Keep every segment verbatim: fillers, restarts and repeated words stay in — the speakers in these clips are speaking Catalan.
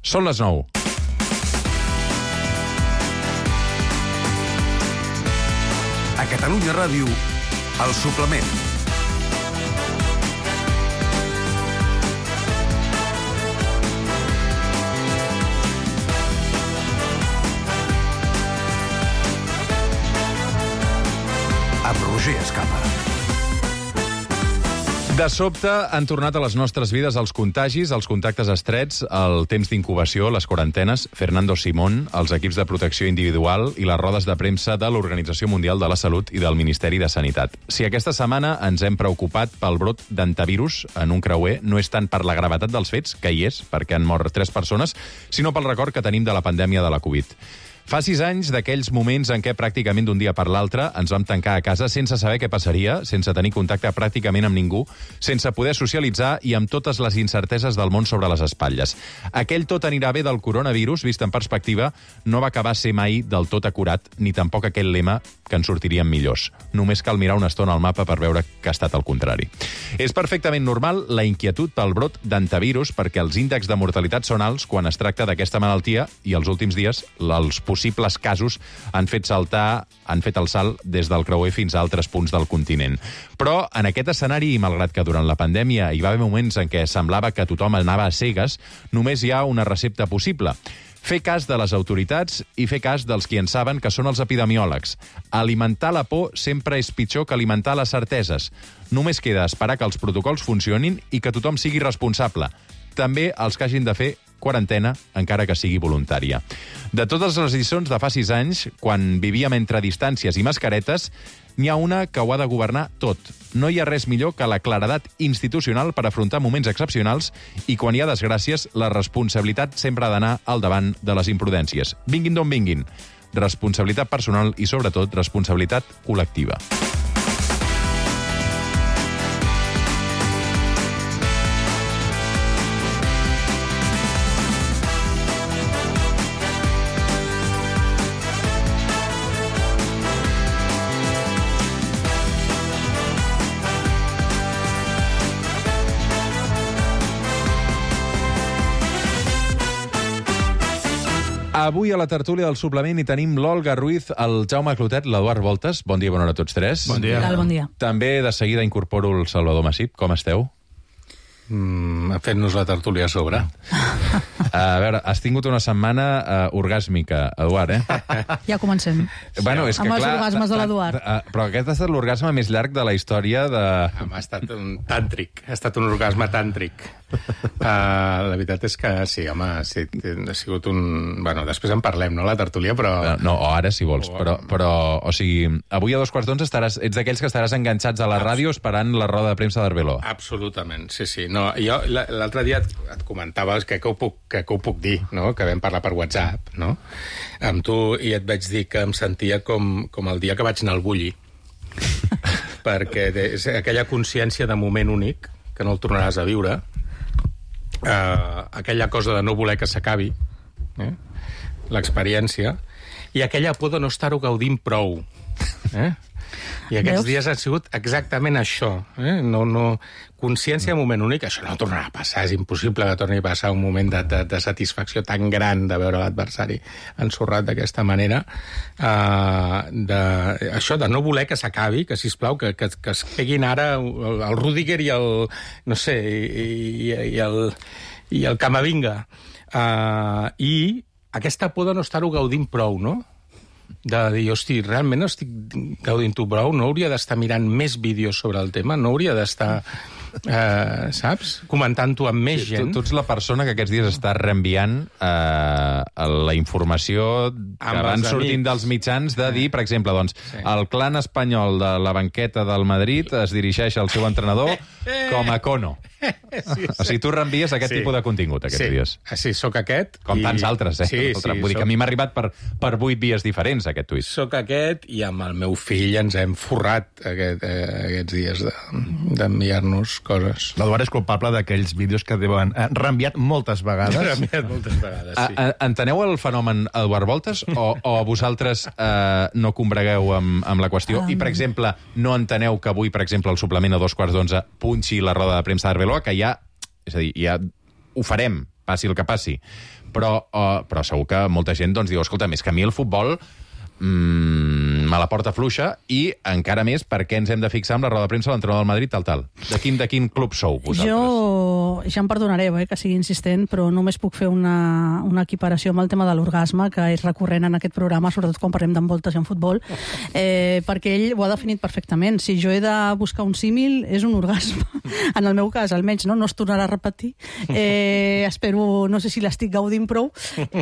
Són les nou. A Catalunya Ràdio, El Suplement. Amb Roger Escapa. De sobte han tornat a les nostres vides els contagis, els contactes estrets, el temps d'incubació, les quarantenes, Fernando Simón, els equips de protecció individual i les rodes de premsa de l'Organització Mundial de la Salut i del Ministeri de Sanitat. Si aquesta setmana ens hem preocupat pel brot d'antivirus en un creuer, no és tant per la gravetat dels fets, que hi és, perquè han mort tres persones, sinó pel record que tenim de la pandèmia de la Covid. Fa sis anys d'aquells moments en què pràcticament d'un dia per l'altre ens vam tancar a casa sense saber què passaria, sense tenir contacte pràcticament amb ningú, sense poder socialitzar i amb totes les incerteses del món sobre les espatlles. Aquell tot anirà bé del coronavirus, vist en perspectiva, no va acabar ser mai del tot acurat, ni tampoc aquell lema que ens sortirien millors. Només cal mirar una estona al mapa per veure que ha estat el contrari. És perfectament normal la inquietud pel brot d'antivirus perquè els índexs de mortalitat són alts quan es tracta d'aquesta malaltia i els últims dies els possibles casos han fet saltar, han fet el salt des del creuer fins a altres punts del continent. Però en aquest escenari, i malgrat que durant la pandèmia hi va haver moments en què semblava que tothom anava a cegues, només hi ha una recepta possible. Fer cas de les autoritats i fer cas dels qui en saben, que són els epidemiòlegs. Alimentar la por sempre és pitjor que alimentar les certeses. Només queda esperar que els protocols funcionin i que tothom sigui responsable. També els que hagin de fer quarantena, encara que sigui voluntària. De totes les lliçons de fa sis anys, quan vivíem entre distàncies i mascaretes, n'hi ha una que ho ha de governar tot. No hi ha res millor que la claredat institucional per afrontar moments excepcionals i quan hi ha desgràcies, la responsabilitat sempre ha d'anar al davant de les imprudències. Vinguin d'on vinguin. Responsabilitat personal i, sobretot, responsabilitat col·lectiva. Avui a la tertúlia del suplement hi tenim l'Olga Ruiz, el Jaume Clotet, l'Eduard Voltes. Bon dia, bona hora a tots tres. Bon dia. Bon dia. També de seguida incorporo el Salvador Massip. Com esteu? Mm, fent-nos la tertúlia a sobre. A veure, has tingut una setmana uh, orgàsmica, Eduard, eh? Ja comencem. Bueno, és que, amb els clar, orgasmes de l'Eduard. uh, Però aquest ha estat l'orgasme més llarg de la història de... Ha estat un tàntric, ha estat un orgasme tàntric. Uh, la veritat és que sí, home, sí, ha sigut un... Bueno, després en parlem, no, la tertúlia, però... Uh, no, o ara, si vols, o... però, però, o sigui, avui a dos quarts d'onze estaràs, ets d'aquells que estaràs enganxats a la ràdio esperant la roda de premsa d'Arveló. Absolutament, sí, sí. No, jo l'altre dia et, et comentava que, que, ho puc, que, que ho puc dir, no? Que vam parlar per WhatsApp, no? Amb tu, i et vaig dir que em sentia com, com el dia que vaig anar al Bulli. Perquè és aquella consciència de moment únic, que no el tornaràs a viure, eh, aquella cosa de no voler que s'acabi, eh? L'experiència, i aquella por de no estar-ho gaudint prou. Eh? I aquests Veus? dies han sigut exactament això. Eh? No, no... Consciència de moment únic, això no tornarà a passar, és impossible que torni a passar un moment de, de, de satisfacció tan gran de veure l'adversari ensorrat d'aquesta manera. Uh, de, això de no voler que s'acabi, que, sisplau, que, que, que es peguin ara el, el Rudiger i el... no sé, i, i, i el, i el Camavinga. Uh, I aquesta por de no estar-ho gaudint prou, no? De dir, hosti, realment no estic gaudint-ho prou, no hauria d'estar mirant més vídeos sobre el tema, no hauria d'estar, eh, saps, comentant-ho amb més gent. Tu, tu ets la persona que aquests dies està reenviant eh, la informació que Amb van els sortint amics. dels mitjans de dir, per exemple, doncs, Sí. el clan espanyol de la banqueta del Madrid es dirigeix al seu entrenador com a cono. Sí, O sigui, tu reenvies aquest Sí. tipus de contingut aquests sí. dies. Sí, sóc aquest. Com i- tants altres, eh? Sí, Altre- sí, Vull dir que soc- a mi m'ha arribat per, per vuit vies diferents, aquest tuit. Soc aquest, i amb el meu fill ens hem forrat aquest, eh, aquests dies de- d'enviar-nos coses. L'Eduard és culpable d'aquells vídeos que deuen eh, reenviat moltes L'he vegades. enviat moltes vegades, A, sí. a, enteneu el fenomen Eduard Voltes o, o vosaltres eh, no combregueu amb, amb la qüestió? I, per exemple, no enteneu que avui, per exemple, el suplement a dos quarts d'onze punxi la roda de premsa d'Arveló, que ja, és a dir, ja ho farem, passi el que passi. Però, uh, però segur que molta gent doncs, diu, escolta, més que a mi el futbol mmm, me la porta fluixa i encara més perquè ens hem de fixar amb la roda de premsa de l'entrenador del Madrid, tal, tal. De quin, de quin club sou, vosaltres? Jo, ja em perdonareu, eh, que sigui insistent, però només puc fer una, una equiparació amb el tema de l'orgasme, que és recurrent en aquest programa, sobretot quan parlem d'envoltes i en futbol, eh, perquè ell ho ha definit perfectament. Si jo he de buscar un símil, és un orgasme. En el meu cas, almenys, no, no es tornarà a repetir. Eh, espero, no sé si l'estic gaudint prou.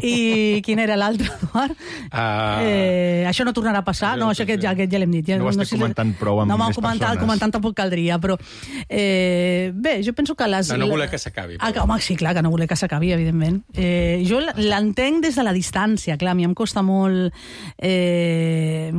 I quin era l'altre, Eduard? Uh... Eh, això no tornarà a passar, no, això aquest ja, aquest ja l'hem dit. Ja, no ho estic no, si comentant prou amb no, més comentar, persones. Comentant tampoc caldria, però eh, bé, jo penso que les... No, no voler que s'acabi. Ah, home, sí, clar, que no voler que s'acabi, evidentment. Eh, jo l'entenc des de la distància, clar, a mi em costa molt eh,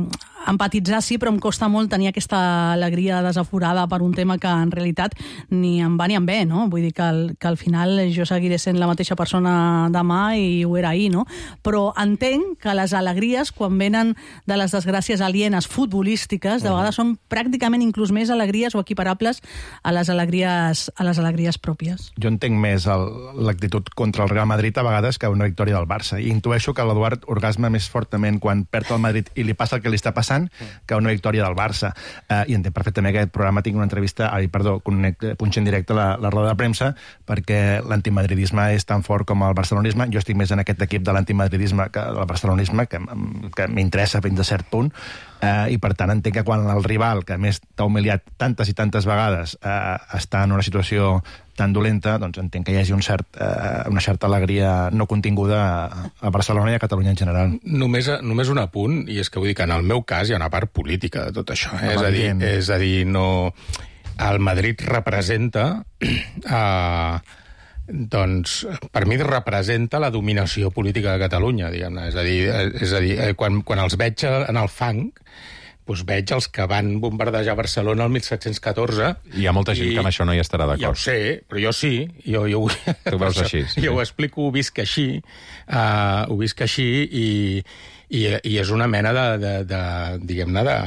empatitzar, sí, però em costa molt tenir aquesta alegria desaforada per un tema que en realitat ni em va ni em ve, no? Vull dir que al, que al final jo seguiré sent la mateixa persona demà i ho era ahir, no? Però entenc que les alegries, quan venen de les desgràcies alienes futbolístiques, de vegades són pràcticament inclús més alegries o equiparables a les alegries, a les alegries pròpies. Jo entenc més l'actitud contra el Real Madrid a vegades que una victòria del Barça. I intueixo que l'Eduard orgasma més fortament quan perd el Madrid i li passa el que li està passant que una victòria del Barça. Eh, I entenc perfectament que aquest programa tingui una entrevista, ai, perdó, connecte, punxa en directe la, la roda de premsa, perquè l'antimadridisme és tan fort com el barcelonisme. Jo estic més en aquest equip de l'antimadridisme que del barcelonisme, que, que m'interessa fins a cert punt. Eh, I per tant entenc que quan el rival, que a més t'ha humiliat tantes i tantes vegades, eh, està en una situació tan dolenta, doncs entenc que hi hagi un cert, eh, una certa alegria no continguda a, a Barcelona i a Catalunya en general. Només, només un apunt, i és que vull dir que en el meu cas hi ha una part política de tot això. Eh? És, a dir, és a dir, no... El Madrid representa... Eh, doncs, per mi representa la dominació política de Catalunya, diguem-ne. És a dir, és a dir quan, quan els veig en el fang, doncs veig els que van bombardejar Barcelona el mil set-cents catorze. Hi ha molta gent i, que amb això no hi estarà d'acord. Ja ho sé, però jo sí. Jo, jo, tu ho veus així. Sí. Jo ho explico, ho visc així, uh, ho visc així i, i, i és una mena de, de, de diguem-ne, de,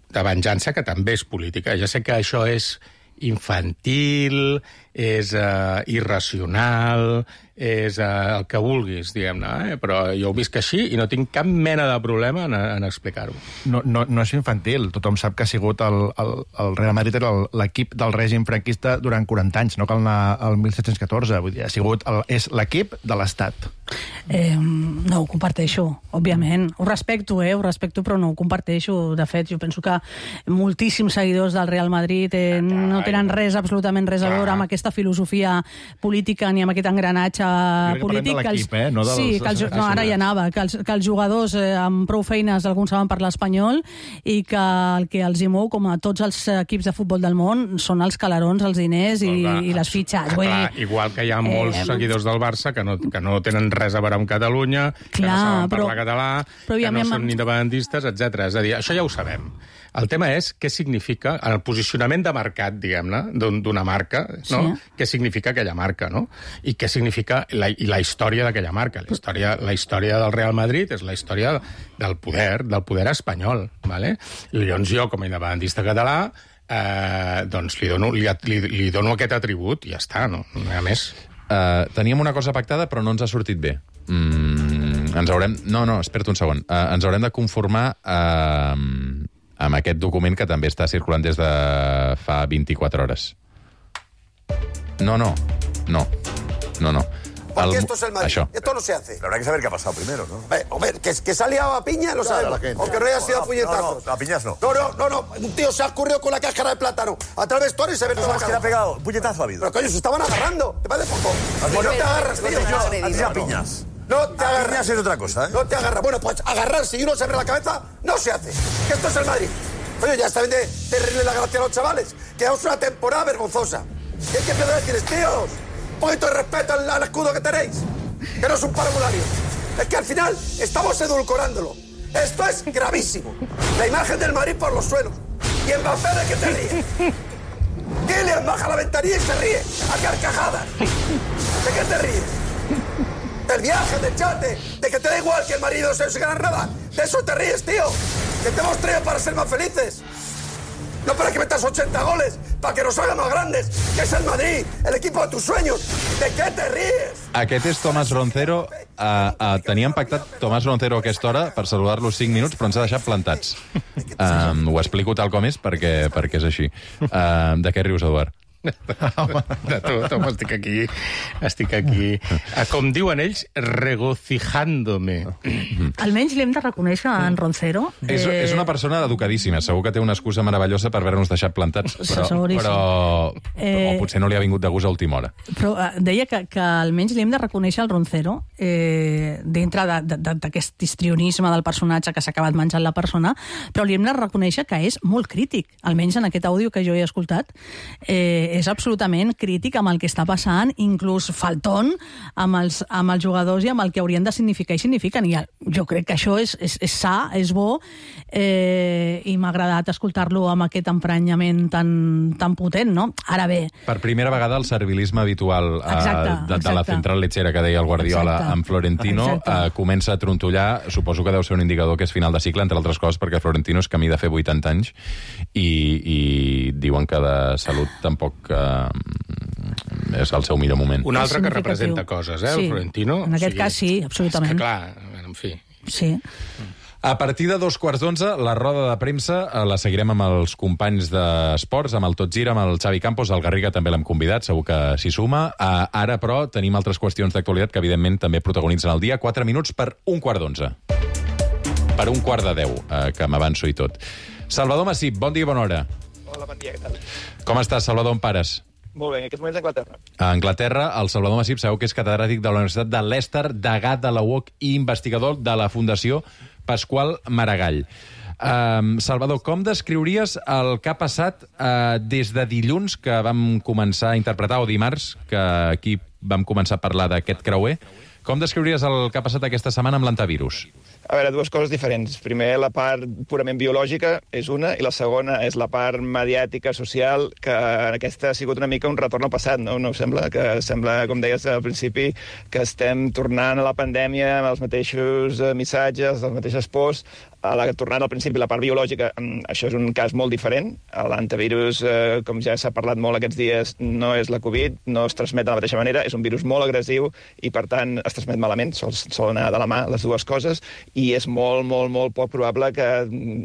de venjança que també és política. Ja sé que això és infantil, és uh, irracional, és uh, el que vulguis, diguem-ne, eh? Però jo ho visc així i no tinc cap mena de problema en, en explicar-ho. No, no, no és infantil. Tothom sap que ha sigut el, el, el Real Madrid era l'equip del règim franquista durant quaranta anys, no cal anar al mil set-cents catorze. Vull dir, ha sigut el, és l'equip de l'Estat. Eh, no ho comparteixo, òbviament. Ho respecto, eh? Ho respecto, però no ho comparteixo. De fet, jo penso que moltíssims seguidors del Real Madrid eh, no tenen res, absolutament res a veure amb aquesta filosofia política ni amb aquest engranatge polític. De l'equip, eh? No dels, sí, que els, no, ara hi anava, que els, que els jugadors eh, amb prou feines, alguns saben parlar espanyol, i que el que els hi mou, com a tots els equips de futbol del món, són els calarons, els diners i, clar, i les fitxes. Vull clar, dir, igual que hi ha molts eh, seguidors del Barça que no, que no tenen res a veure amb Catalunya, clar, que no saben parlar però, català, però que no són amb... independentistes, etcètera. És a dir, això ja ho sabem. El tema és què significa, el posicionament de mercat, diguem-ne, d'una marca, no? Sí. Què significa aquella marca, no? I què significa la, i la història d'aquella marca. La història, la història del Real Madrid és la història del poder, del poder espanyol, ¿vale? I llavors jo, com a independentista català, eh, doncs li dono, li, li, li dono aquest atribut i ja està, no? No hi ha més. Uh, teníem una cosa pactada, però no ens ha sortit bé. Mm, ens haurem... No, no, espera't un segon. Uh, ens haurem de conformar uh, amb aquest document que també està circulant des de fa vint-i-quatre hores. No, no, no, no, no. Porque el, esto es el Madrid. Això. Esto no se hace. Pero habrá que saber qué ha pasado primero, ¿no? Hombre, hombre que, que se ha liado a piña, lo claro, sabemos. Aunque no haya sido no, a puñetazos. No, no, a piñas no. No, no, no, no. Un tío se ha escurrido con la cáscara de plátano a través de todo y se ve toda la cara. ¿Quién ha pegado? ¿Puñetazo ha habido? Pero coño, se estaban agarrando. ¿Te parece poco? Pues no te agarras, tío. Así a piñas. No te agarras. Piñas es otra cosa, ¿eh? No te agarras. Bueno, pues agarrarse y uno se abre la cabeza no se hace. Que esto es el Madrid. Oye, ya está bien de, de reírle la gracia a los chavales. Que es una temporada vergonzosa. ¿Qué hay que empezar a decirles, tíos? Un poquito de respeto al, al escudo que tenéis. Que no es un parvulario. Es que al final estamos edulcorándolo. Esto es gravísimo. La imagen del Madrid por los suelos. Y Mbappé, ¿de qué te ríes? Kylian baja la ventanilla y se ríe. A carcajadas. ¿De qué te ríes? Del viaje, del chate, de que te da igual que el marido se se gana nada. De eso te ríes, tío. Que te hemos traído para ser más felices. No para que metas ochenta goles, para que nos haga más grandes, que es el Madrid, el equipo de tus sueños. ¿De qué te ríes? Aquest és Tomàs Roncero. Uh, uh, teníem pactat Tomàs Roncero a aquesta hora per saludar-lo cinc minuts, però ens ha deixat plantats. Um, ho explico tal com és perquè, perquè és així. Uh, de què rius, Eduard? De tot, home, estic aquí, estic aquí, com diuen ells, regocijándome. Almenys li hem de reconèixer a en Roncero. És, eh, és una persona educadíssima, segur que té una excusa meravellosa per haver-nos deixat plantats, però, Seguríssim. però Eh, o potser no li ha vingut de gust a última hora. Però eh, deia que, que almenys li hem de reconèixer al Roncero eh, dintre d'aquest histrionisme del personatge que s'ha acabat menjant la persona, però li hem de reconèixer que és molt crític, almenys en aquest àudio que jo he escoltat. Eh, és absolutament crític amb el que està passant, inclús faltón amb els, amb els jugadors i amb el que haurien de significar i signifiquen. I jo crec que això és, és, és sa, és bo, eh, i m'ha agradat escoltar-lo amb aquest emprenyament tan, tan potent, no? Ara bé... Per primera vegada el servilisme habitual eh, Exacte, de, de la exacte. central lechera que deia el Guardiola Exacte. amb Florentino eh, comença a trontollar. Suposo que deu ser un indicador que és final de cicle, entre altres coses, perquè Florentino és camí de fer vuitanta anys i, i diuen que de salut tampoc eh, és el seu millor moment. Un altre que significatiu. representa coses, eh, Sí, el Florentino. en aquest cas sí, absolutament. És que clar, en fi... Sí. A partir de dos quarts d'onze, la roda de premsa eh, la seguirem amb els companys d'esports, amb el Tot Gira, amb el Xavi Campos, el Garriga també l'hem convidat, segur que s'hi suma. Uh, ara, però, tenim altres qüestions d'actualitat que, evidentment, també protagonitzen el dia. Quatre minuts per un quart d'onze. Per un quart de deu, uh, que m'avanço i tot. Salvador Massip, bon dia i bona hora. Hola, bon dia, què tal? Com estàs, Salvador, on pares? Molt bé, en aquests moments a Anglaterra. A Anglaterra, el Salvador Massip sabeu que és catedràtic de la Universitat de Leicester, degà de la U O C i investigador de la Fundació Pasqual Maragall. Um, Salvador, com descriuries el que ha passat uh, des de dilluns que vam començar a interpretar, o dimarts, que aquí vam començar a parlar d'aquest creuer? Com descriuries el que ha passat aquesta setmana amb l'antivirus? A veure, dues coses diferents. Primer, la part purament biològica és una, i la segona és la part mediàtica, social, que aquesta ha sigut una mica un retorn al passat, no? No us sembla? Que sembla, com deies al principi, que estem tornant a la pandèmia amb els mateixos missatges, les mateixes pors, a la, tornant al principi la part biològica. Això és un cas molt diferent. L'antivirus, eh, com ja s'ha parlat molt aquests dies, no és la Covid, no es transmet de la mateixa manera, és un virus molt agressiu i, per tant, es transmet malament, sol, sol anar de la mà les dues coses, i és molt, molt, molt poc probable que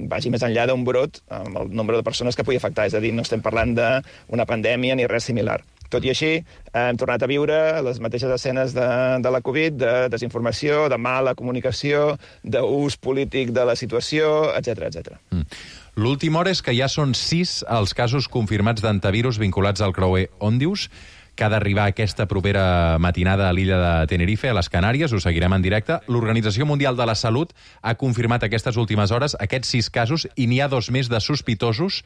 vagi més enllà d'un brot amb el nombre de persones que pugui afectar. És a dir, no estem parlant d'una pandèmia ni res similar. Tot i així, hem tornat a viure les mateixes escenes de, de la Covid, de desinformació, de mala comunicació, d'ús polític de la situació, etcètera, etcètera. Mm. L'última hora és que ja són sis els casos confirmats d'antivirus vinculats al creuer Òndius, que ha d'arribar aquesta propera matinada a l'illa de Tenerife, a les Canàries. Ho seguirem en directe. L'Organització Mundial de la Salut ha confirmat aquestes últimes hores aquests sis casos i n'hi ha dos més de sospitosos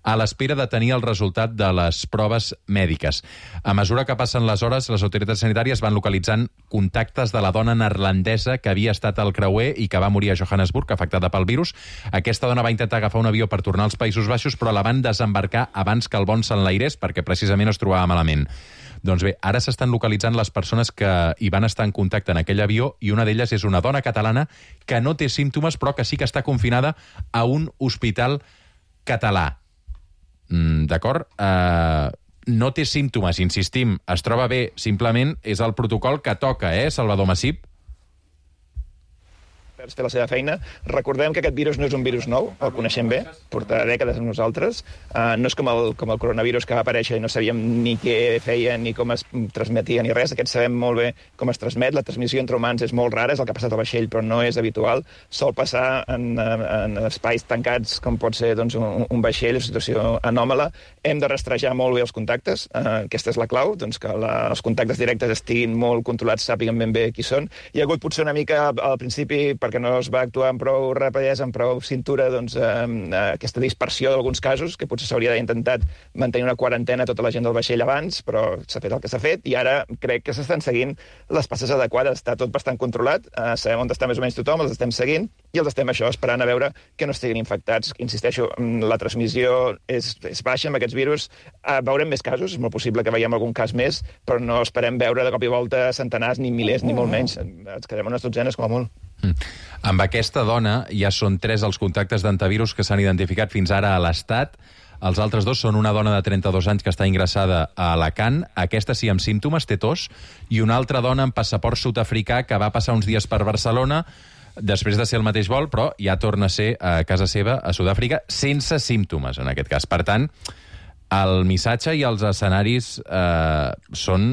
a l'espera de tenir el resultat de les proves mèdiques. A mesura que passen les hores, les autoritats sanitàries van localitzant contactes de la dona neerlandesa que havia estat al creuer i que va morir a Johannesburg, afectada pel virus. Aquesta dona va intentar agafar un avió per tornar als Països Baixos, però la van desembarcar abans que el vol s'enlairés perquè precisament es trobava malament. Doncs bé, ara s'estan localitzant les persones que hi van estar en contacte en aquell avió i una d'elles és una dona catalana que no té símptomes però que sí que està confinada a un hospital català. Mm, d'acord? Uh, no té símptomes, insistim, es troba bé, simplement és el protocol que toca, eh, Salvador Massip? Fer la seva feina. Recordem que aquest virus no és un virus nou, el coneixem bé, porta dècades amb nosaltres. Uh, no és com el, com el coronavirus que va aparèixer i no sabíem ni què feia ni com es transmetia ni res. Aquest sabem molt bé com es transmet. La transmissió entre humans és molt rara, és el que ha passat al vaixell, però no és habitual. Sol passar en, en espais tancats, com pot ser doncs, un, un vaixell, una situació anòmala. Hem de rastrejar molt bé els contactes. Uh, aquesta és la clau, doncs, que la, els contactes directes estiguin molt controlats, sàpiguen ben bé qui són. Hi ha hagut potser una mica al principi, perquè no es va actuar amb prou rapidesa, amb prou cintura, doncs, eh, aquesta dispersió d'alguns casos, que potser s'hauria d'haver intentat mantenir una quarantena a tota la gent del vaixell abans, però s'ha fet el que s'ha fet, i ara crec que s'estan seguint les passes adequades. Està tot bastant controlat, eh, sabem on està més o menys tothom, els estem seguint, i els estem això esperant a veure que no estiguin infectats. Insisteixo, la transmissió és, és baixa amb aquests virus. Eh, veurem més casos, és molt possible que veiem algun cas més, però no esperem veure de cop i volta centenars, ni milers, ni molt menys. Ens quedem unes dotzenes com a molt. Mm. Amb aquesta dona ja són tres els contactes d'antivirus que s'han identificat fins ara a l'Estat. Els altres dos són una dona de trenta-dos anys que està ingressada a Alacant, aquesta sí amb símptomes, té tos, i una altra dona amb passaport sud-africà que va passar uns dies per Barcelona després de ser el mateix vol, però ja torna a ser a casa seva, a Sud-àfrica, sense símptomes, en aquest cas. Per tant, el missatge i els escenaris eh, són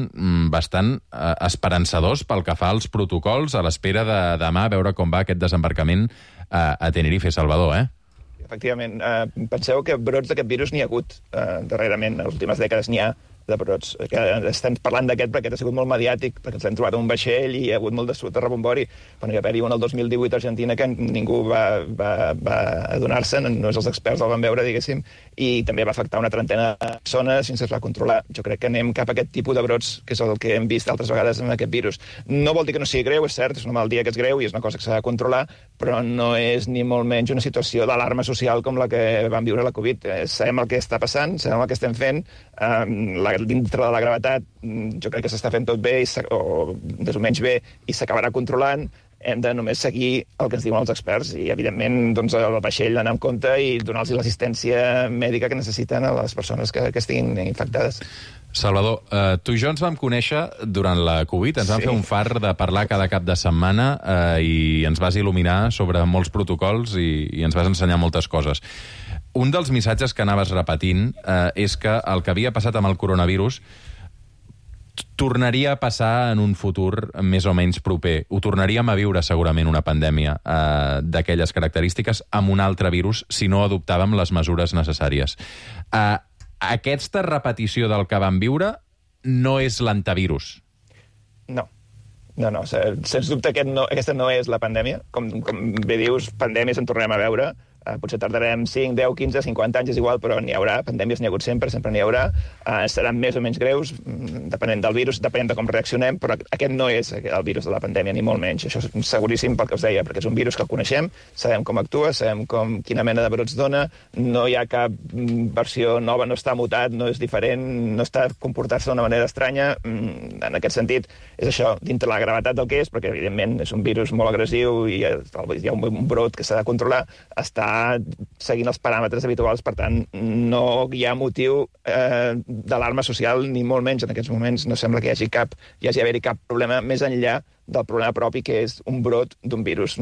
bastant eh, esperançadors pel que fa als protocols, a l'espera de demà veure com va aquest desembarcament eh, a Tenerife, Salvador, eh? Efectivament. Eh, penseu que brots d'aquest virus n'hi ha hagut eh, darrerament. En les últimes dècades n'hi ha de brots. Que estem parlant d'aquest perquè ha sigut molt mediàtic, perquè ens l'hem trobat un vaixell i hi ha hagut molt de, de rebombori. Quan hi va haver-hi un el dos mil divuit a Argentina que ningú va, va, va adonar-se'n, només els experts el van veure, diguéssim, i també va afectar una trentena de persones sense es va controlar. Jo crec que anem cap a aquest tipus de brots, que és el que hem vist altres vegades amb aquest virus. No vol dir que no sigui greu, és cert, és una malaltia que és greu i és una cosa que s'ha de controlar, però no és ni molt menys una situació d'alarma social com la que vam viure la Covid. Eh, sabem el que està passant, sabem el que estem fent, eh, la dintre de la gravetat jo crec que s'està fent tot bé i o més o menys bé i s'acabarà controlant. Hem de només seguir el que ens diuen els experts i, evidentment, doncs, el vaixell anar amb compte i donar-los l'assistència mèdica que necessiten a les persones que, que estiguin infectades. Salvador, eh, tu i jo ens vam conèixer durant la Covid, ens vam sí. fer un far de parlar cada cap de setmana eh, i ens vas il·luminar sobre molts protocols i, i ens vas ensenyar moltes coses. Un dels missatges que anaves repetint eh, és que el que havia passat amb el coronavirus tornaria a passar en un futur més o menys proper. Ho tornaríem a viure segurament una pandèmia eh, d'aquelles característiques amb un altre virus si no adoptàvem les mesures necessàries. Eh, aquesta repetició del que vam viure no és l'antivirus. No. No, no, sens dubte aquest no, aquesta no és la pandèmia. Com, com bé dius, pandèmies en tornem a veure. Uh, potser tardarem cinc, deu, quinze, cinquanta anys, és igual, però n'hi haurà. Pandèmies n'hi ha hagut sempre, sempre n'hi haurà. Uh, seran més o menys greus, depenent del virus, depenent de com reaccionem, però aquest no és el virus de la pandèmia, ni molt menys. Això és seguríssim pel que us deia, perquè és un virus que el coneixem, sabem com actua, sabem com, quina mena de brots dona, no hi ha cap versió nova, no està mutat, no és diferent, no està comportant-se d'una manera estranya. En aquest sentit, és això, dintre la gravetat del que és, perquè, evidentment, és un virus molt agressiu i hi ha un brot que s'ha de controlar, està seguint els paràmetres habituals, per tant, no hi ha motiu eh, d'alarma social, ni molt menys en aquests moments. No sembla que hi hagi cap, hi hagi haver-hi cap problema més enllà del problema propi, que és un brot d'un virus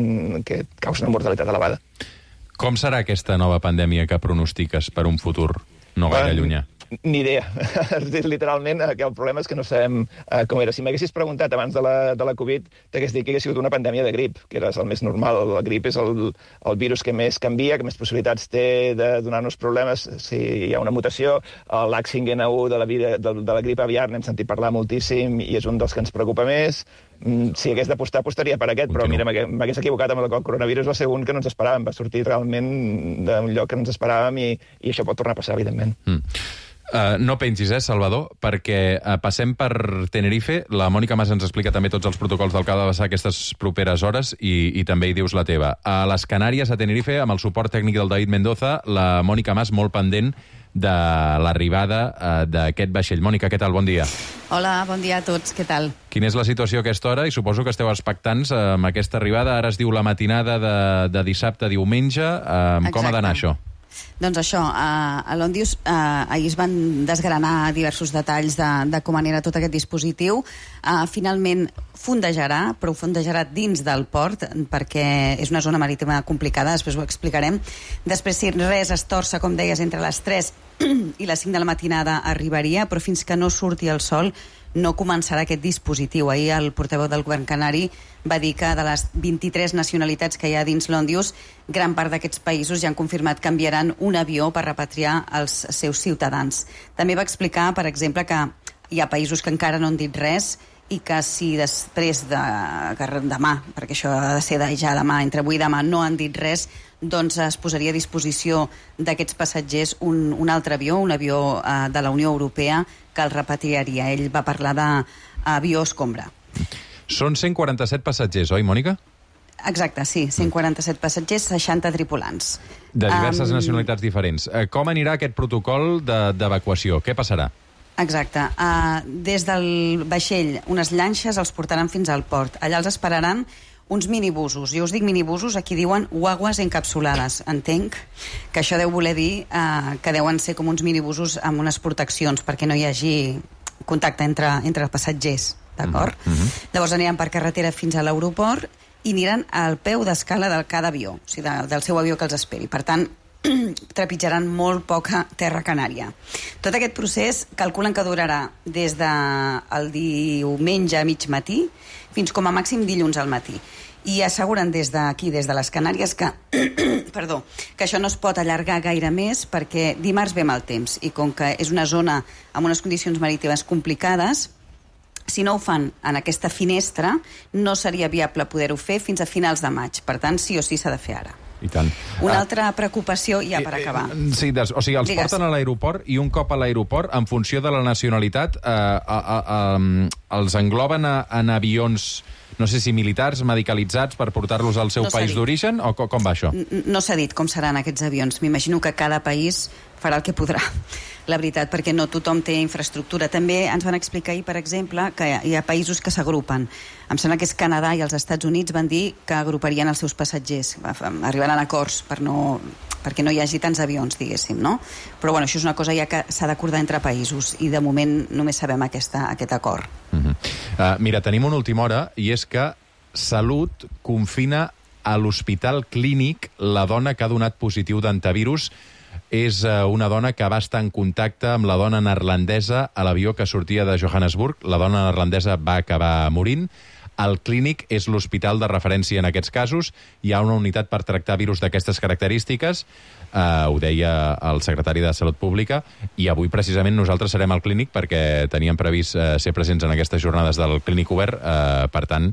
que causa una mortalitat elevada. Com serà aquesta nova pandèmia que pronostiques per un futur no gaire llunyà? Ni idea. Literalment, el problema és que no sabem uh, com era. Si m'haguessis preguntat abans de la, de la Covid, t'hagués dit que hagués sigut una pandèmia de grip, que era el més normal. La grip és el, el virus que més canvia, que més possibilitats té de donar-nos problemes si hi ha una mutació. L'H cinc N un de la, vida, de, de la grip aviar n'hem sentit parlar moltíssim i és un dels que ens preocupa més. Si hagués d'apostar, apostaria per aquest, però mira, m'hagués equivocat amb el coronavirus, va ser un que no ens esperàvem, va sortir realment d'un lloc que no ens esperàvem i, i això pot tornar a passar, evidentment. Mm. Uh, no pengis, eh, Salvador, perquè uh, passem per Tenerife. La Mònica Mas ens explica també tots els protocols del que ha de passar aquestes properes hores i, i també hi dius la teva. A les Canàries, a Tenerife, amb el suport tècnic del David Mendoza, la Mònica Mas molt pendent de l'arribada uh, d'aquest vaixell. Mònica, què tal? Bon dia. Hola, bon dia a tots. Què tal? Quina és la situació a aquesta hora? I suposo que esteu expectants uh, amb aquesta arribada. Ara es diu la matinada de, de dissabte a diumenge. Uh, com ha d'anar això? Doncs això, a l'Òndius ahir es van desgranar diversos detalls de, de com anirà tot aquest dispositiu. Uh, finalment fondejarà, però fondejarà dins del port, perquè és una zona marítima complicada, després ho explicarem. Després, si res es torça, com deies, entre les tres i les cinc de la matinada arribaria, però fins que no surti el sol no començarà aquest dispositiu. Ahir el portaveu del govern canari va dir que de les vint-i-tres nacionalitats que hi ha dins l'Òndius, gran part d'aquests països ja han confirmat que enviaran un avió per repatriar els seus ciutadans. També va explicar, per exemple, que hi ha països que encara no han dit res i que si després de que demà, perquè això ha de ser de ja demà, entre avui i demà, no han dit res, doncs es posaria a disposició d'aquests passatgers un, un altre avió, un avió eh, de la Unió Europea que el repatriaria. Ell va parlar d'avió escombra. Són cent quaranta-set passatgers, oi, Mònica? Exacte, sí, cent quaranta-set passatgers, seixanta tripulants. De diverses um... nacionalitats diferents. Com anirà aquest protocol d'evacuació? Què passarà? Exacte. Uh, des del vaixell, unes llanxes els portaran fins al port. Allà els esperaran uns minibusos. Jo us dic minibusos, aquí diuen guaguas encapsulades. Entenc que això deu voler dir eh, que deuen ser com uns minibusos amb unes proteccions perquè no hi hagi contacte entre, entre passatgers, d'acord? Mm-hmm. Llavors aniran per carretera fins a l'aeroport i aniran al peu d'escala de cada avió, o sigui, de, del seu avió que els esperi. Per tant, trepitjaran molt poca terra canària. Tot aquest procés calculen que durarà des del diumenge a mig matí fins com a màxim dilluns al matí. I asseguren des d'aquí, des de les Canàries, que, perdó, que això no es pot allargar gaire més perquè dimarts ve mal temps i com que és una zona amb unes condicions marítimes complicades, si no ho fan en aquesta finestra, no seria viable poder-ho fer fins a finals de maig. Per tant, sí o sí s'ha de fer ara. I tant. Una ah, altra preocupació, ja per acabar. Sí, des, o sigui, els Digues. porten a l'aeroport i un cop a l'aeroport, en funció de la nacionalitat, eh, a, a, a, els engloben a, en avions, no sé si militars, medicalitzats per portar-los al seu no país d'origen, o com, com va això? No s'ha dit com seran aquests avions. M'imagino que cada país farà el que podrà, la veritat, perquè no tothom té infraestructura. També ens van explicar ahir, per exemple, que hi ha països que s'agrupen. Em sembla que és Canadà i els Estats Units van dir que agruparien els seus passatgers. Arribaran a acords per no, perquè no hi hagi tants avions, diguéssim, no? Però bueno, això és una cosa ja que s'ha d'acordar entre països i de moment només sabem aquesta, aquest acord. Uh-huh. uh, mira, tenim una última hora i és que Salut confina a l'Hospital Clínic la dona que ha donat positiu d'antivirus. És una dona que va estar en contacte amb la dona neerlandesa a l'avió que sortia de Johannesburg. La dona neerlandesa va acabar morint. El Clínic és l'hospital de referència en aquests casos. Hi ha una unitat per tractar virus d'aquestes característiques. Uh, ho deia el secretari de Salut Pública. I avui, precisament, nosaltres serem al Clínic perquè teníem previst uh, ser presents en aquestes jornades del Clínic Obert. Uh, per tant,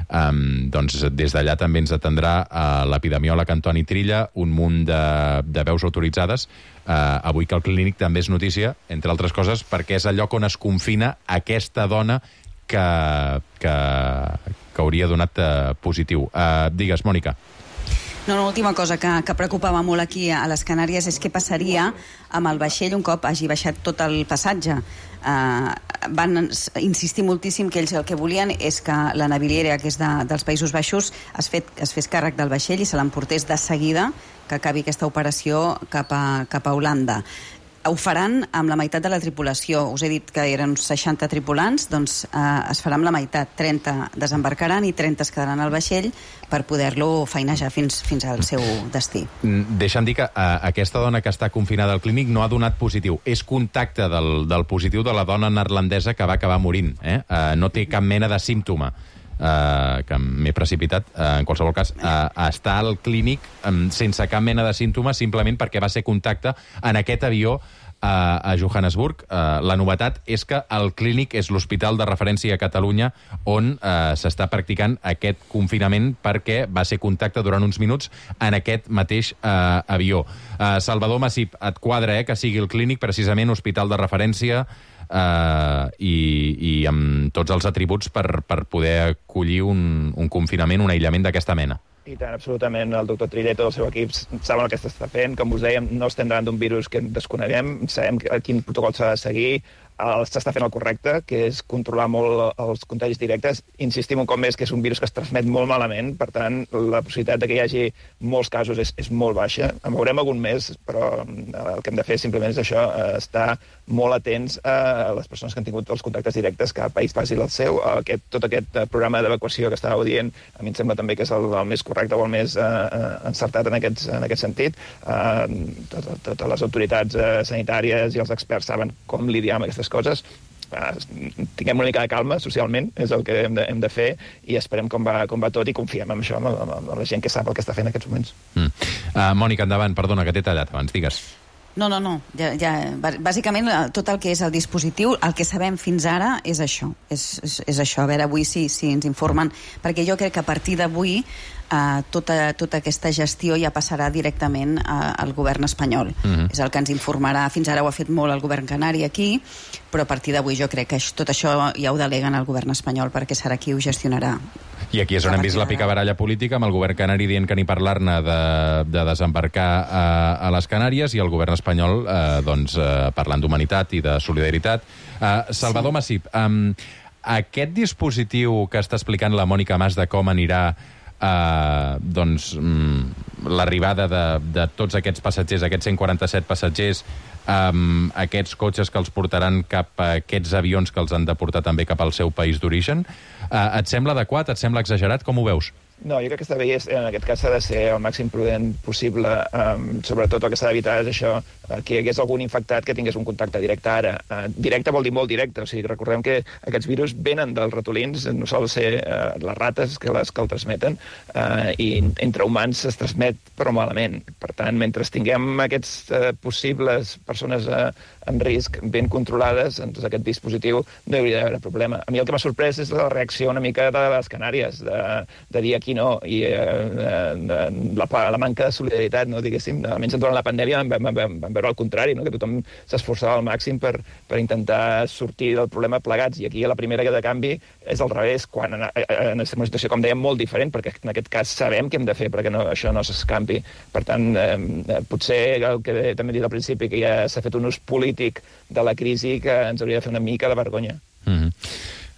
um, doncs, des d'allà també ens atendrà uh, l'epidemiòleg Antoni Trilla, un munt de, de veus autoritzades. Uh, avui que el Clínic també és notícia, entre altres coses, perquè és el lloc on es confina aquesta dona que, que, que hauria donat uh, positiu. Uh, digues, Mònica. No, l'última cosa que, que preocupava molt aquí a les Canàries és què passaria amb el vaixell un cop hagi baixat tot el passatge. Uh, van insistir moltíssim que ells el que volien és que la naviliera, que és de, dels Països Baixos, es, fet, es fes càrrec del vaixell i se l'emportés de seguida que acabi aquesta operació cap a, cap a Holanda. Ho faran amb la meitat de la tripulació. Us he dit que eren uns seixanta tripulants, doncs eh, es farà amb la meitat. trenta desembarcaran i trenta es quedaran al vaixell per poder-lo feinejar fins, fins al seu destí. Deixa'm dir que eh, aquesta dona que està confinada al Clínic no ha donat positiu. És contacte del, del positiu de la dona neerlandesa que va acabar morint. Eh? Eh, no té cap mena de símptoma. Uh, que m'he precipitat, uh, en qualsevol cas, uh, està al Clínic um, sense cap mena de símptomes, simplement perquè va ser contacte en aquest avió uh, a Johannesburg. Uh, la novetat és que el Clínic és l'hospital de referència a Catalunya on uh, s'està practicant aquest confinament perquè va ser contacte durant uns minuts en aquest mateix uh, avió. Uh, Salvador Massip, et quadra eh, que sigui el Clínic precisament hospital de referència Uh, i, i amb tots els atributs per, per poder acollir un, un confinament, un aïllament d'aquesta mena. I tant, absolutament. El doctor Trilla i tot el seu equip saben el que s'està fent. Com us dèiem, no estem davant d'un virus que desconeguem, sabem quin protocol s'ha de seguir, s'està fent el correcte, que és controlar molt els contagis directes. Insistim un cop més que és un virus que es transmet molt malament, per tant, la possibilitat de que hi hagi molts casos és, és molt baixa. En veurem algun més, però el que hem de fer simplement és això, estar molt atents a les persones que han tingut els contactes directes, cada país faci el seu. Aquest, tot aquest programa d'evacuació que estàveu dient, a mi em sembla també que és el, el més correcte o el més uh, encertat en, aquests, en aquest sentit. Uh, Totes, totes les autoritats uh, sanitàries i els experts saben com lidiar amb aquestes coses. Uh, tinguem una mica de calma socialment, és el que hem de, hem de fer, i esperem com va, com va tot i confiem en això, amb, amb, amb la gent que sap el que està fent en aquests moments. Mm. Uh, Mònica, endavant, perdona, que t'he tallat abans, digues. No, no, no. Ja, ja, bàsicament, tot el que és el dispositiu, el que sabem fins ara és això. És, és, és això. A veure, avui sí, sí ens informen, perquè jo crec que a partir d'avui eh, tota, tota aquesta gestió ja passarà directament eh, al govern espanyol. Mm-hmm. És el que ens informarà. Fins ara ho ha fet molt el govern canari aquí, però a partir d'avui jo crec que tot això ja ho deleguen al govern espanyol perquè serà qui ho gestionarà. I aquí és on hem vist la picabaralla política, amb el govern canari dient que ni parlar-ne de, de desembarcar a, a les Canàries i el govern espanyol eh, doncs, eh, parlant d'humanitat i de solidaritat. Eh, Salvador sí. Massip, um, aquest dispositiu que està explicant la Mònica Mas de com anirà eh, doncs, mm, l'arribada de, de tots aquests passatgers, aquests cent quaranta-set passatgers, amb aquests cotxes que els portaran cap a aquests avions que els han de portar també cap al seu país d'origen. Eh, et sembla adequat? Et sembla exagerat? Com ho veus? No, jo crec que està bé, en aquest cas s'ha de ser el màxim prudent possible, um, sobretot el que s'ha d'evitar és això, uh, que hi hagués algun infectat que tingués un contacte directe ara. Uh, directe vol dir molt directe, o sigui, recordem que aquests virus venen dels ratolins, no sol ser uh, les rates que, les, que el transmeten, uh, i entre humans es transmet però malament. Per tant, mentre tinguem aquests uh, possibles persones uh, en risc ben controlades, doncs aquest dispositiu no hi hauria d'haver problema. A mi el que m'ha sorprès és la reacció una mica de les Canàries, de, de dir aquí no, i eh, la, la manca de solidaritat, no, diguéssim, almenys durant la pandèmia vam, vam, vam veure el contrari, no, que tothom s'esforçava al màxim per, per intentar sortir del problema plegats, i aquí la primera de canvi és al revés, quan en, en una situació, com dèiem, molt diferent, perquè en aquest cas sabem què hem de fer perquè no, això no s'escampi. Per tant, eh, potser el que també he dit al principi, que ja s'ha fet un ús polític de la crisi que ens hauria de fer una mica de vergonya. Mm-hmm.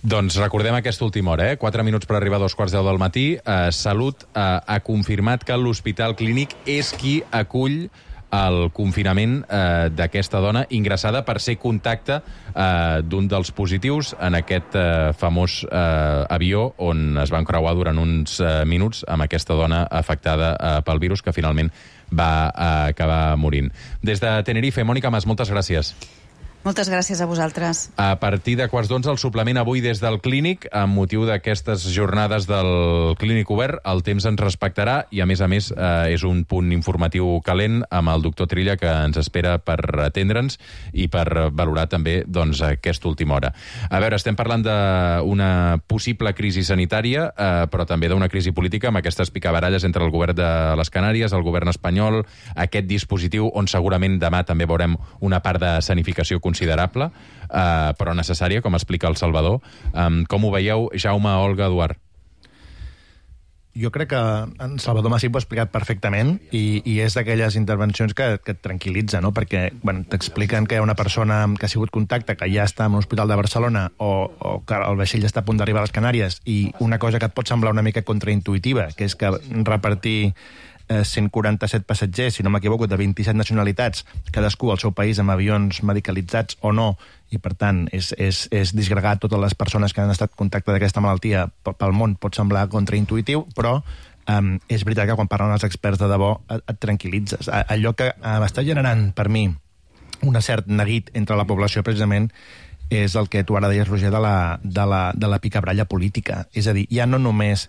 Doncs recordem aquesta última hora, eh? Quatre minuts per arribar a dos quarts deu del matí. Eh, Salut eh, ha confirmat que l'Hospital Clínic és qui acull el confinament eh, d'aquesta dona ingressada per ser contacte eh, d'un dels positius en aquest eh, famós eh, avió on es van creuar durant uns eh, minuts amb aquesta dona afectada eh, pel virus que finalment va eh, acabar morint. Des de Tenerife, Mònica Mas, moltes gràcies. Moltes gràcies a vosaltres. A partir de quarts d'onze, el suplement avui des del Clínic, amb motiu d'aquestes jornades del Clínic Obert. El temps ens respectarà i, a més a més, eh, és un punt informatiu calent amb el doctor Trilla, que ens espera per atendre'ns i per valorar també doncs, aquesta última hora. A veure, estem parlant d'una possible crisi sanitària, eh, però també d'una crisi política, amb aquestes picabaralles entre el govern de les Canàries, el govern espanyol, aquest dispositiu on segurament demà també veurem una part de sanificació considerable, eh, però necessària, com explica el Salvador. Um, com ho veieu, Jaume, Olga, Eduard? Jo crec que en Salvador Masip ho ha explicat perfectament i, i és d'aquelles intervencions que, que et tranquil·litza, no? Perquè bueno, t'expliquen que hi ha una persona que ha sigut contacte, que ja està en un hospital de Barcelona o, o que el vaixell està a punt d'arribar a les Canàries, i una cosa que et pot semblar una mica contraintuitiva, que és que repartir eh, cent quaranta-set passatgers, si no m'equivoco, de vint-i-set nacionalitats, cadascú al seu país amb avions medicalitzats o no, i per tant és, és, és disgregar totes les persones que han estat en contacte d'aquesta malaltia pel món, pot semblar contraintuitiu, però um, és veritat que quan parlen els experts de debò et, et tranquil·litzes. Allò que uh, està generant per mi un cert neguit entre la població precisament és el que tu ara deies, Roger, de la, de la, de la picabralla política. És a dir, ja no només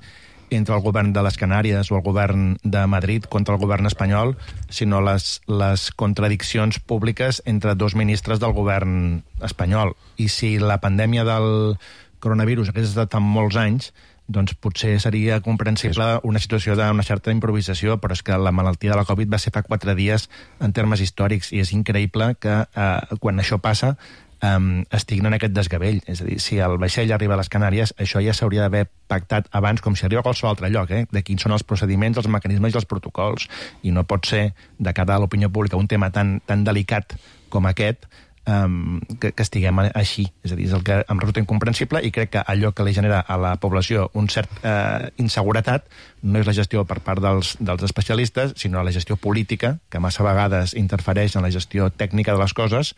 entre el govern de les Canàries o el govern de Madrid contra el govern espanyol, sinó les, les contradiccions públiques entre dos ministres del govern espanyol. I si la pandèmia del coronavirus hagués estat en molts anys, doncs potser seria comprensible una situació d'una certa improvisació, però és que la malaltia de la Covid va ser fa quatre dies en termes històrics, i és increïble que eh, quan això passa Um, estiguin en aquest desgavell. És a dir, si el vaixell arriba a les Canàries, això ja s'hauria d'haver pactat abans, com si arriba a qualsevol altre lloc, eh? de quins són els procediments, els mecanismes i els protocols. I no pot ser, de cara a l'opinió pública, un tema tan, tan delicat com aquest, um, que, que estiguem així. És a dir, és el que em resulta incomprensible, i crec que allò que li genera a la població un cert eh, inseguretat no és la gestió per part dels, dels especialistes, sinó la gestió política, que massa vegades interfereix en la gestió tècnica de les coses,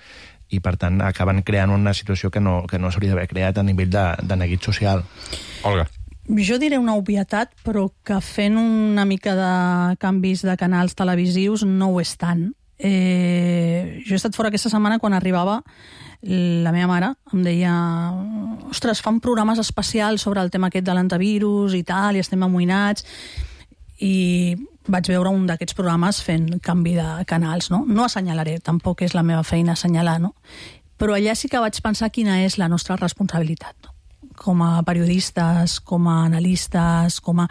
i per tant acaben creant una situació que no, que no s'hauria d'haver creat a nivell de, de neguit social. Olga. Jo diré una obvietat, però que fent una mica de canvis de canals televisius no ho és tant. Eh, jo he estat fora aquesta setmana quan arribava la meva mare, em deia ostres, fan programes especials sobre el tema aquest de l'antivirus i tal, i estem amoïnats, i vaig veure un d'aquests programes fent canvi de canals, no? No assenyalaré, tampoc és la meva feina assenyalar, no? Però allà sí que vaig pensar quina és la nostra responsabilitat, no? Com a periodistes, com a analistes, com a...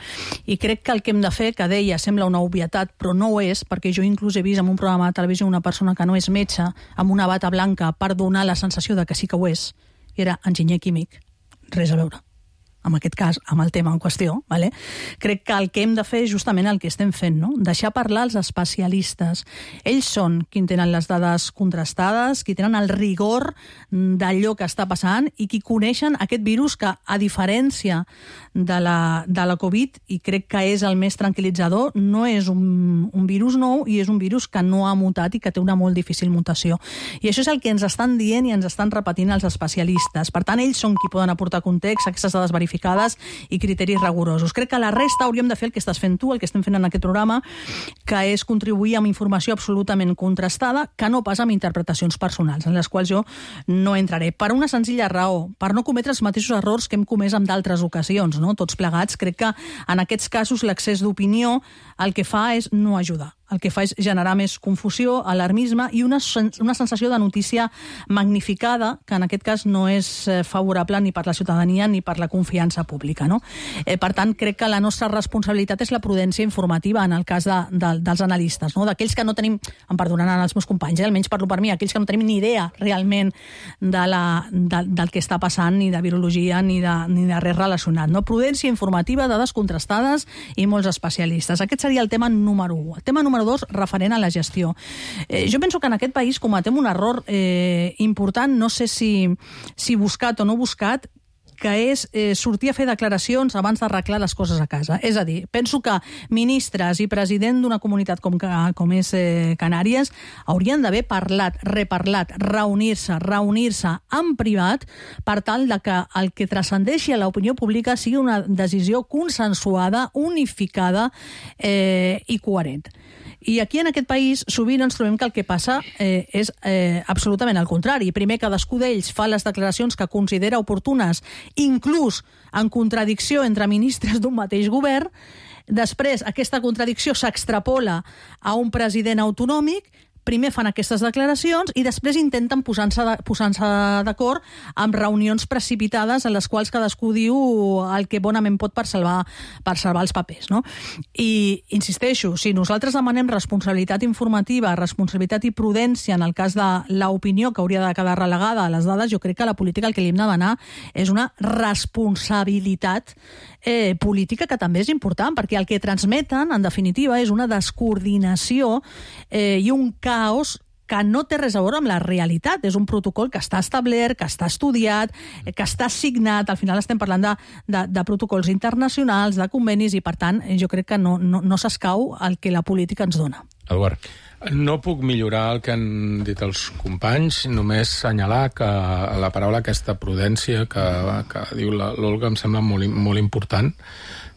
I crec que el que hem de fer, que deia, sembla una obvietat, però no ho és, perquè jo inclús he vist en un programa de televisió una persona que no és metge, amb una bata blanca, per donar la sensació de que sí que ho és, i era enginyer químic. Res a veure. en aquest cas, amb el tema en qüestió, vale? Crec que el que hem de fer és justament el que estem fent, no? Deixar parlar els especialistes. Ells són qui tenen les dades contrastades, qui tenen el rigor d'allò que està passant i qui coneixen aquest virus que, a diferència de la, de la Covid, i crec que és el més tranquil·litzador, no és un, un virus nou i és un virus que no ha mutat i que té una molt difícil mutació. I això és el que ens estan dient i ens estan repetint els especialistes. Per tant, ells són qui poden aportar context, aquestes dades verificades i criteris rigorosos. Crec que la resta hauríem de fer el que estàs fent tu, el que estem fent en aquest programa, que és contribuir amb informació absolutament contrastada, que no pas amb interpretacions personals, en les quals jo no entraré. Per una senzilla raó, per no cometre els mateixos errors que hem comès en d'altres ocasions, no? Tots plegats. Crec que en aquests casos l'excés d'opinió el que fa és no ajudar. El que fa és generar més confusió, alarmisme i una, una sensació de notícia magnificada, que en aquest cas no és favorable ni per la ciutadania ni per la confiança pública, no? Eh, per tant, crec que la nostra responsabilitat és la prudència informativa en el cas de, de, dels analistes, no? D'aquells que no tenim, em perdonaran els meus companys, eh? Almenys parlo per mi, aquells que no tenim ni idea realment de la, de, del que està passant, ni de virologia, ni de, ni de res relacionat, no? Prudència informativa, dades contrastades i molts especialistes. Aquest seria el tema número u. El tema número dos, referent a la gestió. Eh, jo penso que en aquest país cometem un error eh, important, no sé si, si buscat o no buscat, que és eh, sortir a fer declaracions abans d'arreglar les coses a casa. És a dir, penso que ministres i president d'una comunitat com, com és eh, Canàries haurien d'haver parlat, reparlat, reunir-se, reunir-se en privat per tal de que el que transcendeixi a l'opinió pública sigui una decisió consensuada, unificada eh, i coherent. I aquí en aquest país sovint ens trobem que el que passa eh, és eh, absolutament el contrari. Primer, cadascú d'ells fa les declaracions que considera oportunes, inclús en contradicció entre ministres d'un mateix govern. Després, aquesta contradicció s'extrapola a un president autonòmic. Primer fan aquestes declaracions i després intenten posar-se posar-se d'acord amb reunions precipitades en les quals cadascú diu el que bonament pot per salvar, per salvar els papers, no? I insisteixo, si nosaltres demanem responsabilitat informativa, responsabilitat i prudència en el cas de l'opinió que hauria de quedar relegada a les dades, jo crec que la política el que li hem de demanar és una responsabilitat eh, política que també és important, perquè el que transmeten, en definitiva, és una descoordinació eh, i un caos que no té res a veure amb la realitat. És un protocol que està establert, que està estudiat, que està signat. Al final estem parlant de, de, de protocols internacionals, de convenis, i per tant jo crec que no, no, no s'escau el que la política ens dona. Eduard. No puc millorar el que han dit els companys, només assenyalar que la paraula aquesta prudència que, que diu l'Olga em sembla molt, molt important,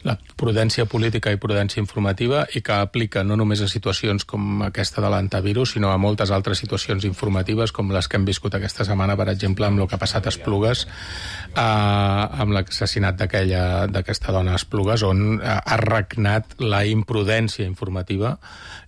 la prudència política i prudència informativa, i que aplica no només a situacions com aquesta de l'antivirus, sinó a moltes altres situacions informatives com les que hem viscut aquesta setmana, per exemple, amb el que ha passat a Esplugues, eh, amb l'assassinat d'aquesta dona a Esplugues, on ha regnat la imprudència informativa.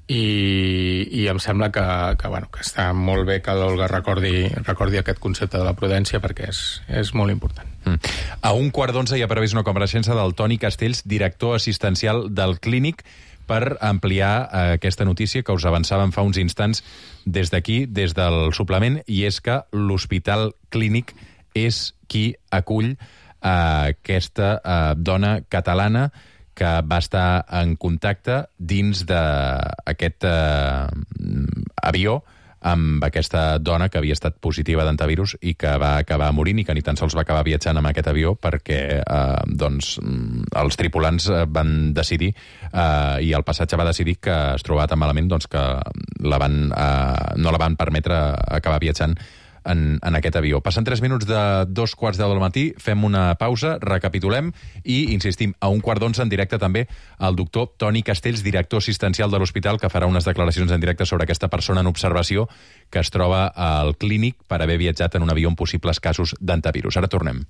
I, i em sembla que, que, bueno, que està molt bé que l'Olga recordi, recordi aquest concepte de la prudència, perquè és, és molt important. Mm. A un quart d'onze hi ha previst una compareixença del Toni Castells, director assistencial del Clínic, per ampliar eh, aquesta notícia que us avançàvem fa uns instants des d'aquí, des del suplement, i és que l'Hospital Clínic és qui acull eh, aquesta eh, dona catalana que va estar en contacte dins d'aquest eh, avió amb aquesta dona que havia estat positiva d'antivirus i que va acabar morint i que ni tan sols va acabar viatjant amb aquest avió perquè eh, doncs, els tripulants van decidir eh, i el passatge va decidir que es trobava tan malament doncs, que la van, eh, no la van permetre acabar viatjant En, en aquest avió. Passen tres minuts de dos quarts deu del matí, fem una pausa, recapitulem i insistim, a un quart d'onze en directe també el doctor Toni Castells, director assistencial de l'hospital, que farà unes declaracions en directe sobre aquesta persona en observació que es troba al Clínic per haver viatjat en un avió amb possibles casos d'antivirus. Ara tornem.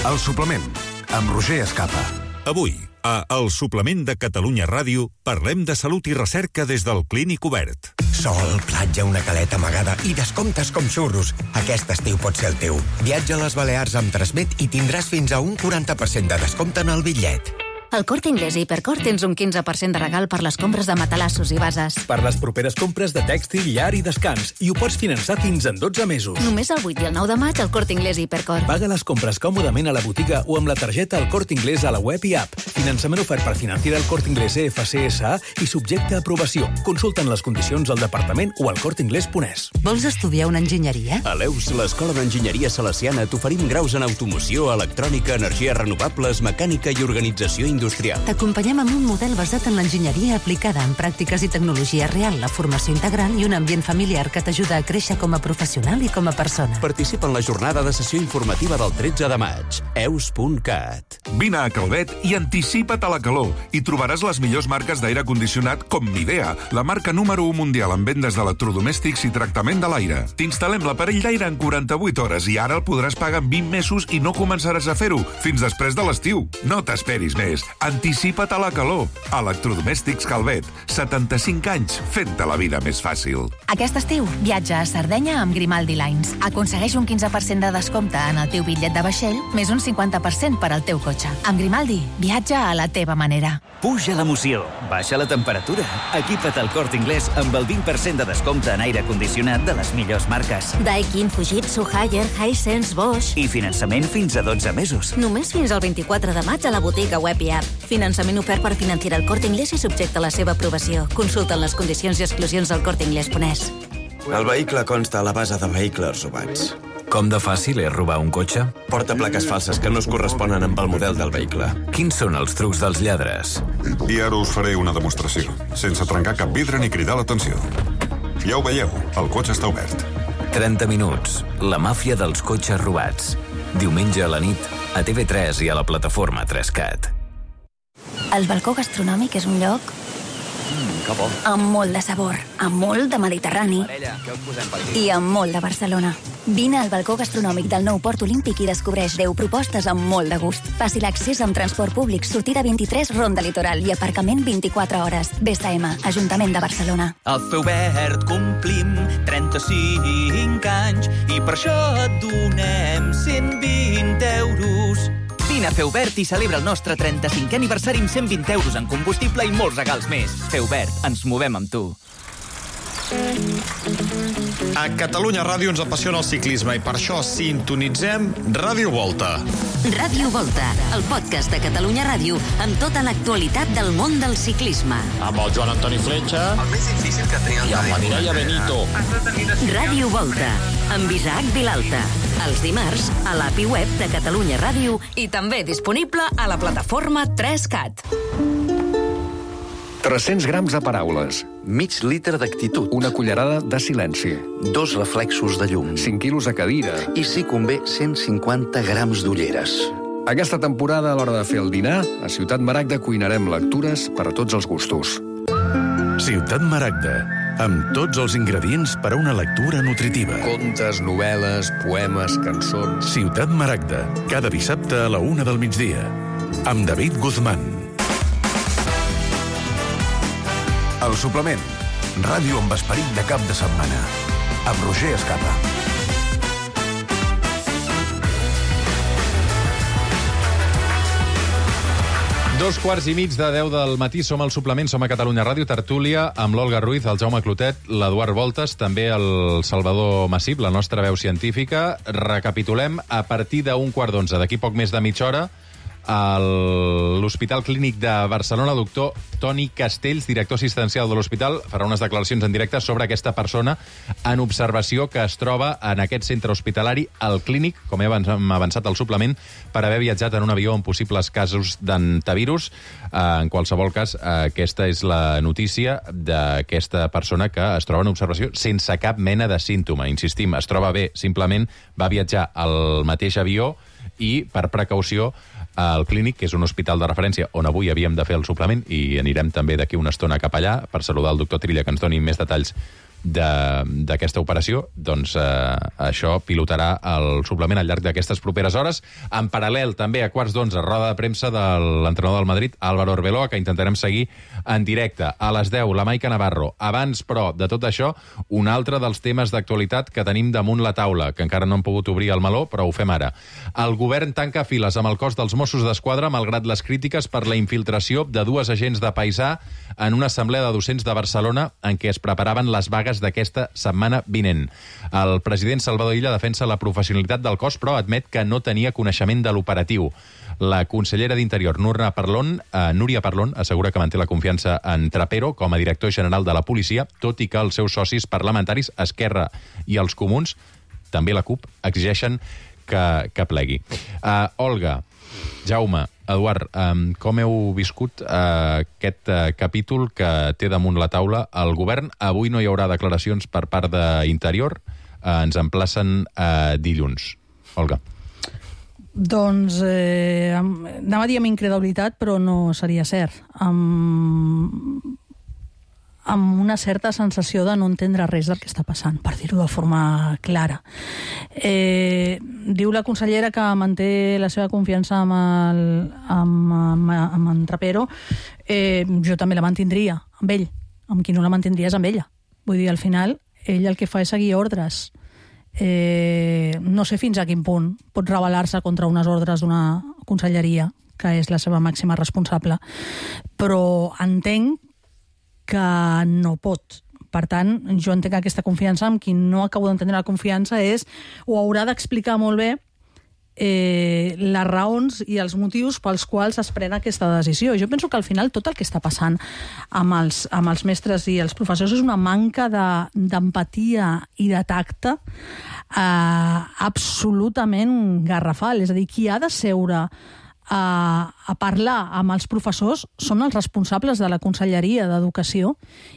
El suplement, amb Roger Escapa. Avui, a El Suplement de Catalunya Ràdio, parlem de salut i recerca des del Clínic Obert. Sol, platja, una caleta amagada i descomptes com xurros. Aquest estiu pot ser el teu. Viatja a les Balears amb Transmet i tindràs fins a un quaranta per cent de descompte en el bitllet. Al Corte Inglés i Hipercor tens un quinze per cent de regal per les compres de matalassos i bases. Per les properes compres de tèxtil, llar i descans. I ho pots finançar fins en dotze mesos. Només el vuit i el nou de maig al Corte Inglés i Hipercor. Paga les compres còmodament a la botiga o amb la targeta al Corte Inglés a la web i app. Finançament ofert per Financiera al Corte Inglés E F C S A i subjecte a aprovació. Consulten les condicions al departament o al corteinglés punt es. Vols estudiar una enginyeria? A l'E U S, l'Escola d'Enginyeria Salesiana, t'oferim graus en automoció, electrònica, energies renovables, mecànica i organització industrial. T'acompanyem amb un model basat en l'enginyeria aplicada en pràctiques i tecnologia real, la formació integral i un ambient familiar que t'ajuda a créixer com a professional i com a persona. Participa en la jornada de sessió informativa del tretze de maig. eus punt cat. Vine a Calvet i anticipa't a la calor. Hi trobaràs les millors marques d'aire condicionat com Midea, la marca número u mundial en vendes d'electrodomèstics i tractament de l'aire. T'instal·lem l'aparell d'aire en quaranta-vuit hores i ara el podràs pagar en vint mesos i no començaràs a fer-ho fins després de l'estiu. No t'esperis més. Anticipa't a la calor. Electrodomèstics Calvet. setanta-cinc anys fent-te la vida més fàcil. Aquest estiu, viatja a Sardenya amb Grimaldi Lines. Aconsegueix un quinze per cent de descompte en el teu bitllet de vaixell, més un cinquanta per cent per al teu cotxe. Amb Grimaldi, viatja a la teva manera. Puja l'emoció, baixa la temperatura. Equipa't al Corte Inglés amb el vint per cent de descompte en aire condicionat de les millors marques. Daikin, Fujitsu, Haier, Hisense, Bosch. I finançament fins a dotze mesos. Només fins al vint-i-quatre de maig a la botiga web i app. Finançament ofert per Financiera al Corte Inglés i subjecte a la seva aprovació. Consulta les condicions i exclusions al corte inglés punt es. El vehicle consta a la base de vehicles robats. Com de fàcil és robar un cotxe? Porta plaques falses que no es corresponen amb el model del vehicle. Quins són els trucs dels lladres? I ara us faré una demostració, sense trencar cap vidre ni cridar l'atenció. Ja ho veieu, el cotxe està obert. trenta minuts. La màfia dels cotxes robats. Diumenge a la nit, a T V tres i a la plataforma tres cat. El balcó gastronòmic és un lloc Mm, que bo. amb molt de sabor, amb molt de Mediterrani Parella, què us posem per aquí? i amb molt de Barcelona. Vine al balcó gastronòmic del nou Port Olímpic i descobreix deu propostes amb molt de gust. Fàcil accés amb transport públic, sortida vint-i-tres, Ronda Litoral i aparcament vint-i-quatre hores. B S M, Ajuntament de Barcelona. Al Feubert complim trenta-cinc anys i per això et donem cent vint euros. Vine a Feubert i celebra el nostre trenta-cinquè aniversari amb cent vint euros en combustible i molts regals més. Feubert, ens movem amb tu. A Catalunya Ràdio ens apassiona el ciclisme i per això sintonitzem Ràdio Volta. Ràdio Volta, el podcast de Catalunya Ràdio amb tota l'actualitat del món del ciclisme. Amb el Joan Antoni Fletxa. El més difícil que tenia el I amb la Mireia Benito. Ràdio Volta, amb Isaac Vilalta. Els dimarts, a l'A P I web de Catalunya Ràdio I també disponible a la plataforma tres cat. tres-cents grams de paraules. Mig litre d'actitud. Una cullerada de silenci. Dos reflexos de llum. cinc quilos de cadira. I, si convé, cent cinquanta grams d'ulleres. Aquesta temporada, a l'hora de fer el dinar, a Ciutat Maragda cuinarem lectures per a tots els gustos. Ciutat Maragda, amb tots els ingredients per a una lectura nutritiva. Contes, novel·les, poemes, cançons... Ciutat Maragda, cada dissabte a la una del migdia. Amb David Guzmán. El suplement. Ràdio amb esperit de cap de setmana. Amb Roger Escapa. Dos quarts i mig de deu del matí, som al suplement, som a Catalunya Ràdio, tertúlia, amb l'Olga Ruiz, el Jaume Clotet, l'Eduard Voltes, també el Salvador Massip, la nostra veu científica. Recapitulem, a partir d'un quart d'onze, d'aquí poc més de mitja hora, a l'Hospital Clínic de Barcelona, el doctor Toni Castells, director assistencial de l'hospital, farà unes declaracions en directe sobre aquesta persona en observació que es troba en aquest centre hospitalari, al Clínic, com hem avançat al suplement, per haver viatjat en un avió amb possibles casos d'antivirus. En qualsevol cas, aquesta és la notícia d'aquesta persona que es troba en observació sense cap mena de símptoma. Insistim, es troba bé, simplement va viatjar al mateix avió i, per precaució, al Clínic, que és un hospital de referència on avui havíem de fer el suplement, i anirem també d'aquí una estona cap allà per saludar el doctor Trilla, que ens doni més detalls d'aquesta operació, doncs eh, això pilotarà el suplement al llarg d'aquestes properes hores. En paral·lel, també a quarts d'onze, roda de premsa de l'entrenador del Madrid, Álvaro Arbeloa, que intentarem seguir en directe. A les deu, la Maica Navarro. Abans, però, de tot això, un altre dels temes d'actualitat que tenim damunt la taula, que encara no hem pogut obrir el meló, però ho fem ara. El govern tanca files amb el cos dels Mossos d'Esquadra, malgrat les crítiques per la infiltració de dues agents de paisà en una assemblea de docents de Barcelona en què es preparaven les vagues d'aquesta setmana vinent. El president Salvador Illa defensa la professionalitat del cos, però admet que no tenia coneixement de l'operatiu. La consellera d'Interior, Núria Parlon, eh, Núria Parlon, assegura que manté la confiança en Trapero com a director general de la policia, tot i que els seus socis parlamentaris, Esquerra i els Comuns, també la CUP, exigeixen que, que plegui. Uh, Olga, Jaume, Eduard, um, com heu viscut uh, aquest uh, capítol que té damunt la taula el govern? Avui no hi haurà declaracions per part d'Interior, uh, ens emplacen uh, dilluns. Olga. Doncs eh, anava a dir amb incredulitat, però no seria cert. Amb, amb una certa sensació de no entendre res del que està passant, per dir-ho de forma clara. Eh, diu la consellera que manté la seva confiança amb, el, amb, amb, amb en Trapero. Eh, jo també la mantindria, amb ell. Amb qui no la mantindria és amb ella. Vull dir, al final, ell el que fa és seguir ordres. Eh, no sé fins a quin punt pot rebel·lar-se contra unes ordres d'una conselleria, que és la seva màxima responsable, però entenc que no pot. Per tant, jo entenc aquesta confiança. Amb qui no acabo d'entendre la confiança és, o haurà d'explicar molt bé eh, les raons i els motius pels quals es pren aquesta decisió. Jo penso que al final tot el que està passant amb els, amb els mestres i els professors és una manca d'empatia i de tacte eh, absolutament garrafal. És a dir, qui ha de seure a, a parlar amb els professors són els responsables de la Conselleria d'Educació,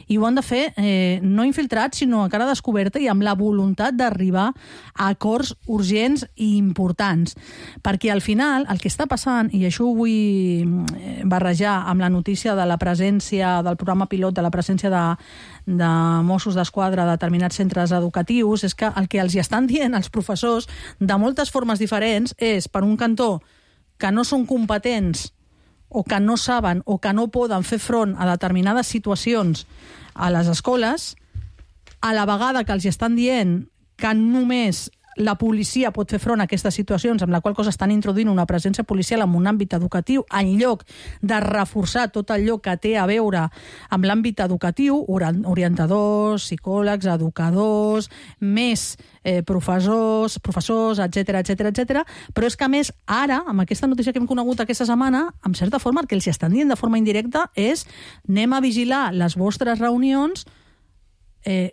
i ho han de fer eh, no infiltrats, sinó a cara descoberta i amb la voluntat d'arribar a acords urgents i importants. Perquè al final el que està passant, i això ho vull barrejar amb la notícia de la presència del programa pilot, de la presència de, de Mossos d'Esquadra a determinats centres educatius, és que el que els hi estan dient els professors de moltes formes diferents és, per un cantó, que no són competents o que no saben o que no poden fer front a determinades situacions a les escoles, a la vegada que els estan dient que només la policia pot fer front a aquestes situacions, amb la qual cosa estan introduint una presència policial en un àmbit educatiu, en lloc de reforçar tot allò que té a veure amb l'àmbit educatiu, orientadors, psicòlegs, educadors, més eh, professors, professors, etcètera, etcètera, etcètera. Però és que, a més, ara, amb aquesta notícia que hem conegut aquesta setmana, en certa forma, el que els estan dient de forma indirecta és anem a vigilar les vostres reunions eh,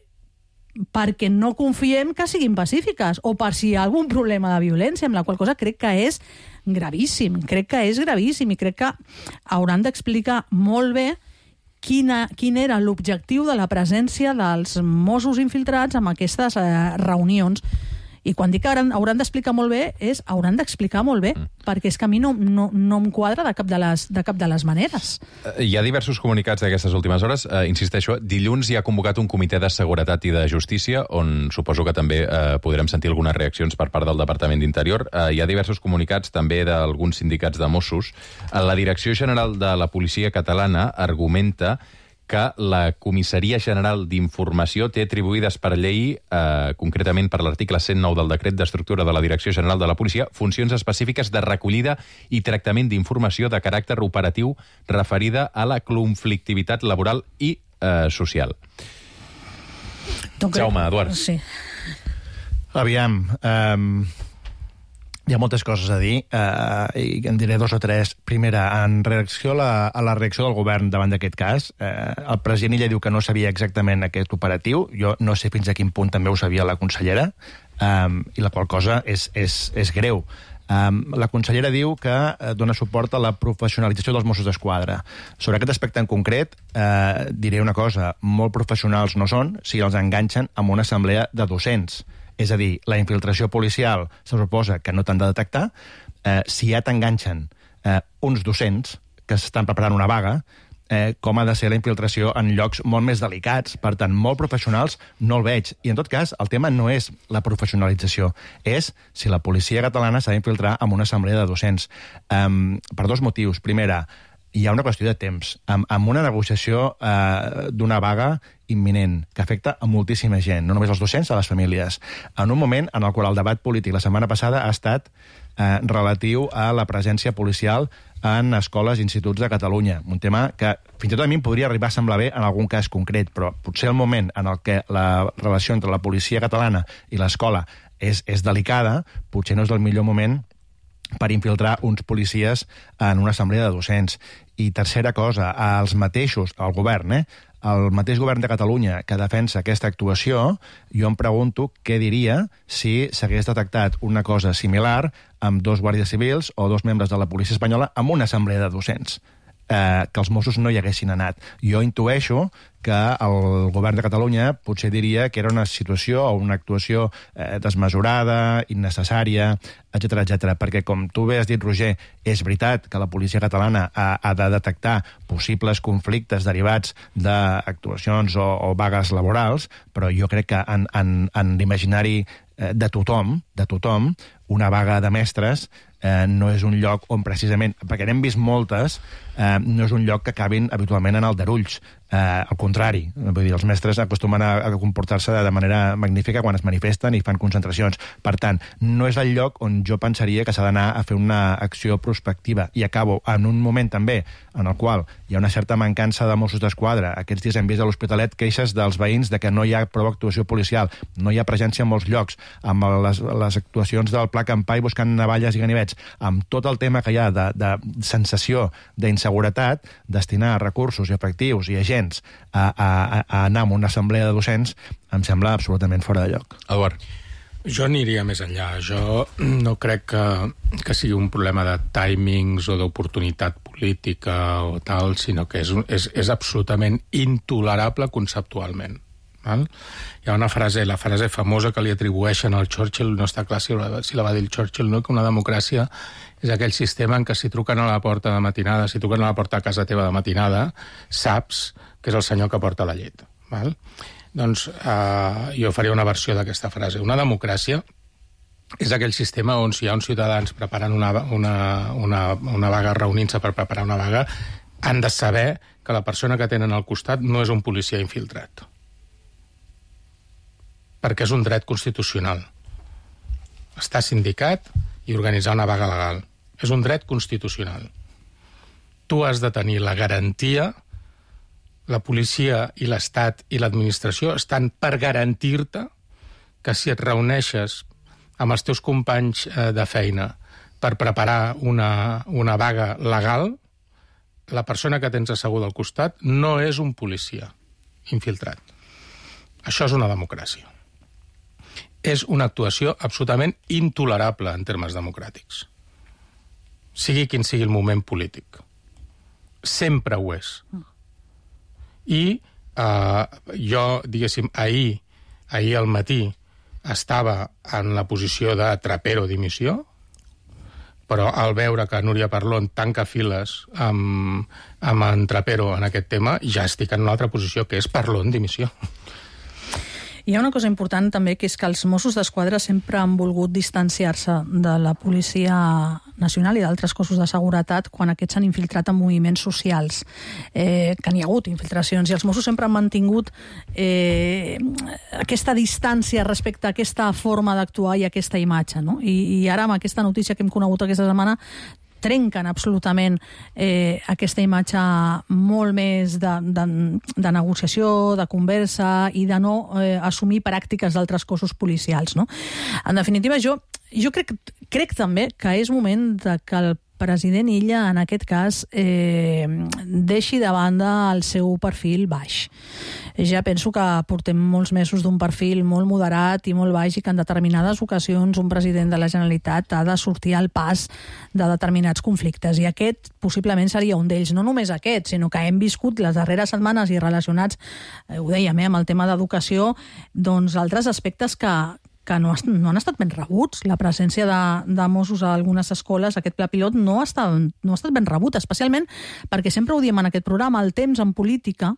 perquè no confiem que siguin pacífiques, o per si hi ha algun problema de violència, amb la qual cosa crec que és gravíssim, crec que és gravíssim, i crec que hauran d'explicar molt bé quina, quin era l'objectiu de la presència dels Mossos infiltrats en aquestes eh, reunions. I quan dic que hauran, hauran d'explicar molt bé, és hauran d'explicar molt bé, mm. perquè és que a mi no, no, no em quadra de cap de les, de cap de les maneres. Hi ha diversos comunicats d'aquestes últimes hores. Uh, insisteixo, dilluns hi ha convocat un comitè de seguretat i de justícia, on suposo que també uh, podrem sentir algunes reaccions per part del Departament d'Interior. Uh, hi ha diversos comunicats també d'alguns sindicats de Mossos. Uh, la Direcció General de la Policia Catalana argumenta que la Comissaria General d'Informació té atribuïdes per llei, eh, concretament per l'article cent nou del Decret d'Estructura de la Direcció General de la Policia, funcions específiques de recollida i tractament d'informació de caràcter operatiu referida a la conflictivitat laboral i eh, social. Donc, Jaume, Eduard. Sí. Aviam, um, hi ha moltes coses a dir, uh, i en diré dos o tres. Primera, en reacció a la, a la reacció del govern davant d'aquest cas, uh, el president Illa diu que no sabia exactament aquest operatiu. Jo no sé fins a quin punt també ho sabia la consellera, um, i la qual cosa és, és, és greu. Um, la consellera diu que uh, dona suport a la professionalització dels Mossos d'Esquadra. Sobre aquest aspecte en concret, uh, diré una cosa, molt professionals no són si els enganxen amb una assemblea de docents. És a dir, la infiltració policial se suposa que no t'han de detectar. Eh, si ja t'enganxen eh, uns docents que estan preparant una vaga, eh, com ha de ser la infiltració en llocs molt més delicats. Per tant, molt professionals no el veig. I, en tot cas, el tema no és la professionalització, és si la policia catalana s'ha d'infiltrar en una assemblea de docents. Um, per dos motius. Primera, hi ha una qüestió de temps. Amb, amb una negociació eh, d'una vaga imminent, que afecta a moltíssima gent, no només als docents, a les famílies. En un moment en el qual el debat polític la setmana passada ha estat eh, relatiu a la presència policial en escoles i instituts de Catalunya. Un tema que fins i tot a mi em podria arribar a semblar bé en algun cas concret, però potser el moment en el que la relació entre la policia catalana i l'escola és, és delicada, potser no és el millor moment per infiltrar uns policies en una assemblea de docents. I tercera cosa, els mateixos, el govern, eh? el mateix govern de Catalunya que defensa aquesta actuació, jo em pregunto què diria si s'hagués detectat una cosa similar amb dos guàrdies civils o dos membres de la policia espanyola en una assemblea de docents. Eh, que els Mossos no hi haguessin anat. Jo intueixo que el govern de Catalunya potser diria que era una situació o una actuació eh, desmesurada, innecessària, etcètera, etcètera. Perquè, com tu bé has dit, Roger, és veritat que la policia catalana ha, ha de detectar possibles conflictes derivats d'actuacions o, o vagues laborals, però jo crec que en, en, en l'imaginari de tothom, de tothom, una vaga de mestres eh, no és un lloc on precisament, perquè n'hem vist moltes, eh, no és un lloc que acabin habitualment en aldarulls. Eh, al contrari, vull dir, els mestres acostumen a, a comportar-se de manera magnífica quan es manifesten i fan concentracions. Per tant, no és el lloc on jo pensaria que s'ha d'anar a fer una acció prospectiva. I acabo en un moment també en el qual hi ha una certa mancança de Mossos d'Esquadra. Aquests dies hem vist a l'Hospitalet queixes dels veïns de que no hi ha prou actuació policial, no hi ha presència en molts llocs, amb les, les actuacions del Pla Campai buscant navalles i ganivets, amb tot el tema que hi ha de, de sensació d'inseguretat, destinar recursos i efectius i agents a, a, a anar a una assemblea de docents em sembla absolutament fora de lloc. Eduard. Jo aniria més enllà. Jo no crec que, que sigui un problema de timings o d'oportunitat política o tal, sinó que és, és, és absolutament intolerable conceptualment. Val? Hi ha una frase, la frase famosa que li atribueixen al Churchill, no està clar si la, si la va dir el Churchill, no? Que una democràcia és aquell sistema en què si truquen a la porta de matinada, si truquen a la porta a casa teva de matinada, saps que és el senyor que porta la llet. Val? Doncs eh, jo faria una versió d'aquesta frase. Una democràcia és aquell sistema on si hi ha uns ciutadans preparant una, una, una, una vaga, reunint-se per preparar una vaga, han de saber que la persona que tenen al costat no és un policia infiltrat. Perquè és un dret constitucional. Estar sindicat i organitzar una vaga legal. És un dret constitucional. Tu has de tenir la garantia, la policia i l'Estat i l'administració estan per garantir-te que si et reuneixes amb els teus companys de feina per preparar una, una vaga legal, la persona que tens asseguda al costat no és un policia infiltrat. Això és una democràcia. És una actuació absolutament intolerable en termes democràtics. Sigui quin sigui el moment polític. Sempre ho és. I eh, jo, diguéssim, ahir, ahir al matí estava en la posició de trapero dimissió, però al veure que Núria Parlon tanca files amb, amb en Trapero en aquest tema, ja estic en una altra posició, que és Parlon dimissió. Hi ha una cosa important també, que és que els Mossos d'Esquadra sempre han volgut distanciar-se de la Policia Nacional i d'altres cossos de seguretat quan aquests s'han infiltrat en moviments socials, eh, que n'hi ha hagut infiltracions, i els Mossos sempre han mantingut eh, aquesta distància respecte a aquesta forma d'actuar i aquesta imatge, no? I, i ara amb aquesta notícia que hem conegut aquesta setmana trenquen absolutament eh, aquesta imatge molt més de, de, de negociació, de conversa i de no eh, assumir pràctiques d'altres cossos policials, no? En definitiva, jo, jo crec, crec també que és moment de que el president Illa, en aquest cas, eh, deixi de banda el seu perfil baix. Ja penso que portem molts mesos d'un perfil molt moderat i molt baix i que en determinades ocasions un president de la Generalitat ha de sortir al pas de determinats conflictes. I aquest possiblement seria un d'ells. No només aquest, sinó que hem viscut les darreres setmanes i relacionats, eh, ho dèiem, eh, amb el tema d'educació, doncs altres aspectes que que no, no han estat ben rebuts. La presència de, de Mossos a algunes escoles, aquest pla pilot, no ha estat, no ha estat ben rebut, especialment perquè sempre ho diem en aquest programa, el temps en política,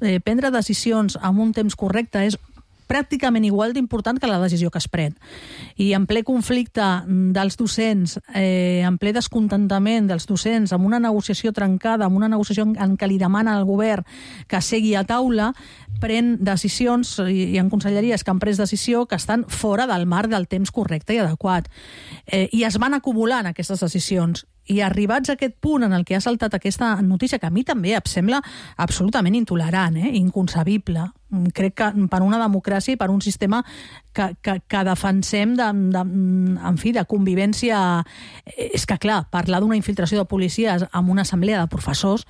eh, prendre decisions amb un temps correcte és pràcticament igual d'important que la decisió que es pren. I en ple conflicte dels docents, eh, en ple descontentament dels docents, amb una negociació trencada, amb una negociació en què li demana al govern que segui a taula, pren decisions, i hi ha conselleries que han pres decisió que estan fora del marc del temps correcte i adequat. Eh, I es van acumulant aquestes decisions. I arribats a aquest punt en el que ha saltat aquesta notícia, que a mi també em sembla absolutament intolerant, eh? Inconcebible. Crec que per una democràcia i per un sistema que, que, que defensem de, de, en fi, de convivència... És que, clar, parlar d'una infiltració de policies en una assemblea de professors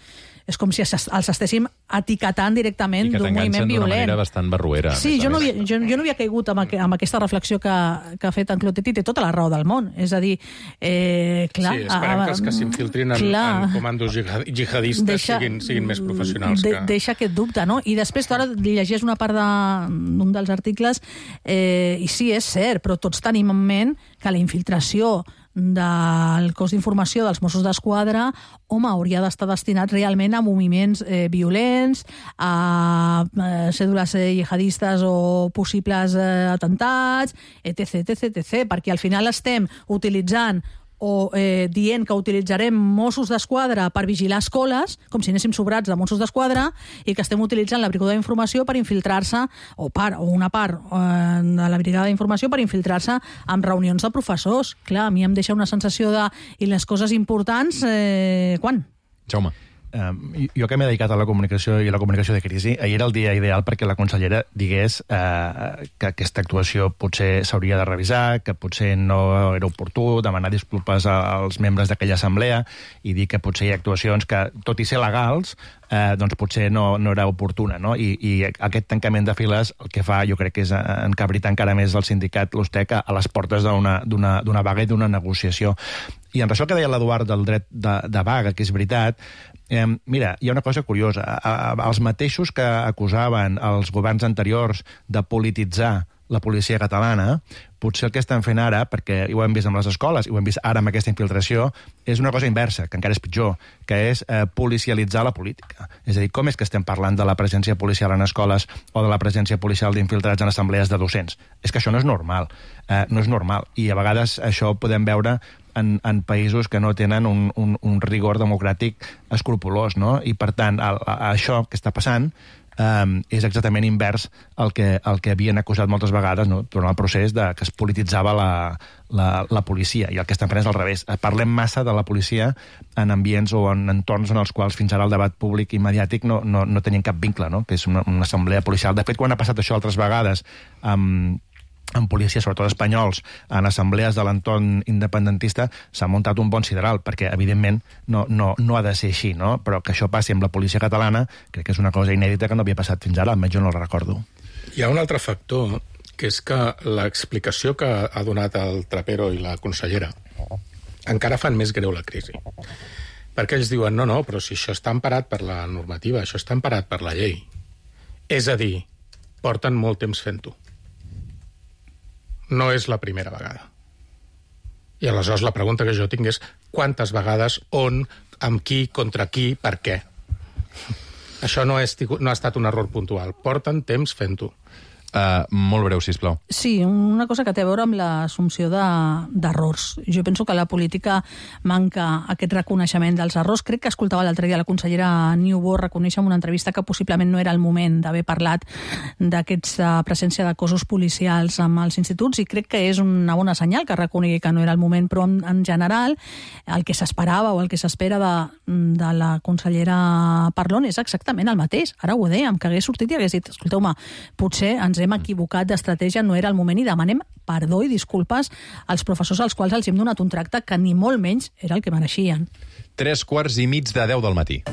és com si els estéssim etiquetant directament d'un moviment violent. I que t'enganxen d'una manera bastant barruera. Sí, jo no, havia, jo, jo no havia caigut amb, amb aquesta reflexió que, que ha fet en Clotet i té tota la raó del món. És a dir, eh, clar... Sí, esperem a, que els que s'infiltrin en, en comandos jihadistes deixa, siguin, siguin més professionals. De, que... Deixa aquest dubte, no? I després, ara llegeix una part d'un de, dels articles, eh, i sí, és cert, però tots tenim en ment que la infiltració del cos d'informació dels Mossos d'Esquadra, home, hauria d'estar destinat realment a moviments eh, violents, a eh, cèdules eh, jihadistes o possibles eh, atentats, etc, etc, etc, perquè al final estem utilitzant o eh, dient que utilitzarem Mossos d'Esquadra per vigilar escoles, com si anéssim sobrats de Mossos d'Esquadra, i que estem utilitzant la brigada d'informació per infiltrar-se, o part o una part eh, de la brigada d'informació per infiltrar-se en reunions de professors. Clar, a mi em deixa una sensació de... I les coses importants, eh, quan? Jaume. Um, jo que m'he dedicat a la comunicació i a la comunicació de crisi, ahir era el dia ideal perquè la consellera digués uh, que aquesta actuació potser s'hauria de revisar, que potser no era oportú, demanar disculpes als membres d'aquella assemblea i dir que potser hi ha actuacions que, tot i ser legals, eh, doncs potser no, no era oportuna, no? I, i aquest tancament de files el que fa, jo crec que és encabritar encara més el sindicat, l'Ustec, a les portes d'una vaga i d'una negociació. I en això que deia l'Eduard del dret de, de vaga, que és veritat, eh, mira, hi ha una cosa curiosa. A, a, els mateixos que acusaven els governs anteriors de polititzar la policia catalana, potser el que estan fent ara, perquè ho hem vist amb les escoles i ho hem vist ara amb aquesta infiltració, és una cosa inversa, que encara és pitjor, que és eh, policialitzar la política. És a dir, com és que estem parlant de la presència policial en escoles o de la presència policial d'infiltrats en assemblees de docents? És que això no és normal. Eh, no és normal. I a vegades això ho podem veure en, en països que no tenen un, un, un rigor democràtic escrupolós, no? I, per tant, a, a, això que està passant Um, és exactament invers al que, al que havien acusat moltes vegades, no? Durant el procés de que es polititzava la, la, la policia, i el que estan fent és al revés. Parlem massa de la policia en ambients o en entorns en els quals fins ara el debat públic i mediàtic no, no, no tenien cap vincle, no? Que és una, una assemblea policial. De fet, quan ha passat això altres vegades amb... Um, en policies, sobretot espanyols, en assemblees de l'entorn independentista, s'ha muntat un bon sideral, perquè, evidentment, no, no, no ha de ser així, no? Però que això passi amb la policia catalana, crec que és una cosa inèdita que no havia passat fins ara, almenys jo no la recordo. Hi ha un altre factor, que és que l'explicació que ha donat el Trapero i la consellera encara fan més greu la crisi. Perquè ells diuen, no, no, però si això està emparat per la normativa, això està emparat per la llei. És a dir, porten molt temps fent-ho. No és la primera vegada. I aleshores la pregunta que jo tinc és quantes vegades, on, amb qui, contra qui, per què? Això no, és, no ha estat un error puntual. Porten temps fent-ho. Uh, molt breu, sisplau. Sí, una cosa que té a veure amb l'assumpció d'errors. De, jo penso que la política manca aquest reconeixement dels errors. Crec que escoltava l'altre dia la consellera Niubó reconèixer en una entrevista que possiblement no era el moment d'haver parlat d'aquesta presència de cossos policials amb els instituts, i crec que és una bona senyal que reconegui que no era el moment, però en, en general el que s'esperava o el que s'espera de, de la consellera Parlon és exactament el mateix. Ara ho dèiem, que hagués sortit i hagués dit, escolteu-me, potser ens hem equivocat d'estratègia, no era el moment, i demanem perdó i disculpes als professors als quals els hem donat un tracte que ni molt menys era el que mereixien. Tres quarts i mig de deu del matí.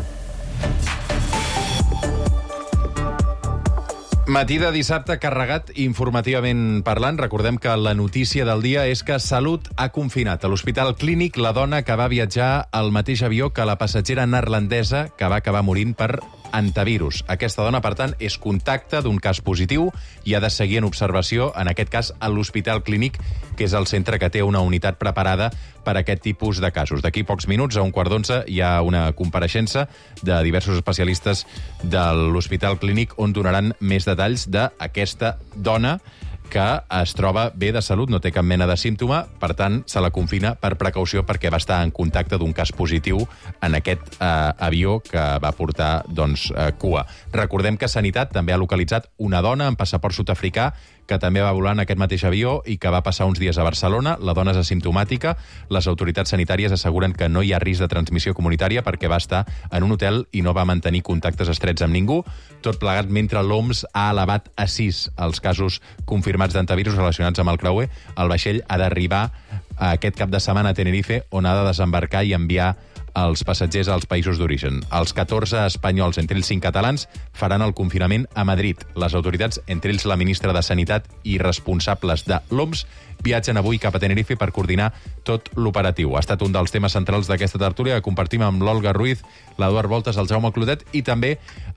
Matí de dissabte carregat informativament parlant. Recordem que la notícia del dia és que Salut ha confinat a l'Hospital Clínic la dona que va viatjar al mateix avió que la passatgera neerlandesa que va acabar morint per antivirus. Aquesta dona, per tant, és contacte d'un cas positiu i ha de seguir en observació, en aquest cas, a l'Hospital Clínic, que és el centre que té una unitat preparada per a aquest tipus de casos. D'aquí pocs minuts, a un quart d'onze, hi ha una compareixença de diversos especialistes de l'Hospital Clínic on donaran més detalls d'aquesta dona que es troba bé de salut, no té cap mena de símptoma, per tant, se la confina per precaució perquè va estar en contacte d'un cas positiu en aquest eh, avió que va portar doncs, eh, cua. Recordem que Sanitat també ha localitzat una dona amb passaport sud-africà que també va volar en aquest mateix avió i que va passar uns dies a Barcelona. La dona és asimptomàtica. Les autoritats sanitàries asseguren que no hi ha risc de transmissió comunitària perquè va estar en un hotel i no va mantenir contactes estrets amb ningú. Tot plegat mentre l'O M S ha elevat a sis els casos confirmats d'antivirus relacionats amb el creuer. El vaixell ha d'arribar aquest cap de setmana a Tenerife, on ha de desembarcar i enviar els passatgers als països d'origen. Els catorze espanyols, entre ells cinc catalans, faran el confinament a Madrid. Les autoritats, entre ells la ministra de Sanitat i responsables de l'O M S, viatgen avui cap a Tenerife per coordinar tot l'operatiu. Ha estat un dels temes centrals d'aquesta tertúlia que compartim amb l'Olga Ruiz, l'Eduard Voltes, el Jaume Clotet i també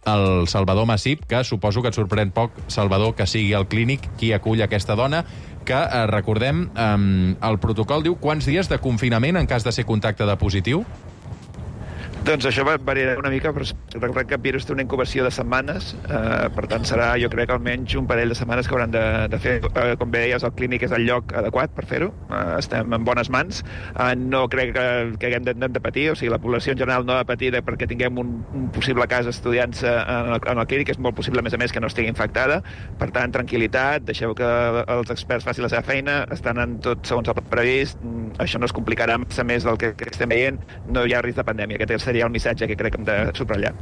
el Salvador Massip, que suposo que et sorprèn poc, Salvador, que sigui el clínic qui acull aquesta dona, que, eh, recordem, eh, el protocol diu quants dies de confinament en cas de ser contacte de positiu? Doncs això variarà una mica, però recordem que el virus té una incubació de setmanes, eh, per tant serà, jo crec, almenys un parell de setmanes que hauran de, de fer. Eh, com bé deies, el clínic és el lloc adequat per fer-ho, eh, estem en bones mans, eh, no crec que, que haguem de, de patir, o sigui, la població en general no ha de patir perquè tinguem un, un possible cas estudiant-se en, el, en el clínic, és molt possible, a més a més, que no estigui infectada, per tant, tranquil·litat, deixeu que els experts facin la seva feina, estan en tot segons el previst, això no es complicarà massa més del que, que estem veient, no hi ha risc de pandèmia, aquest seria el missatge que crec que hem de subratllar.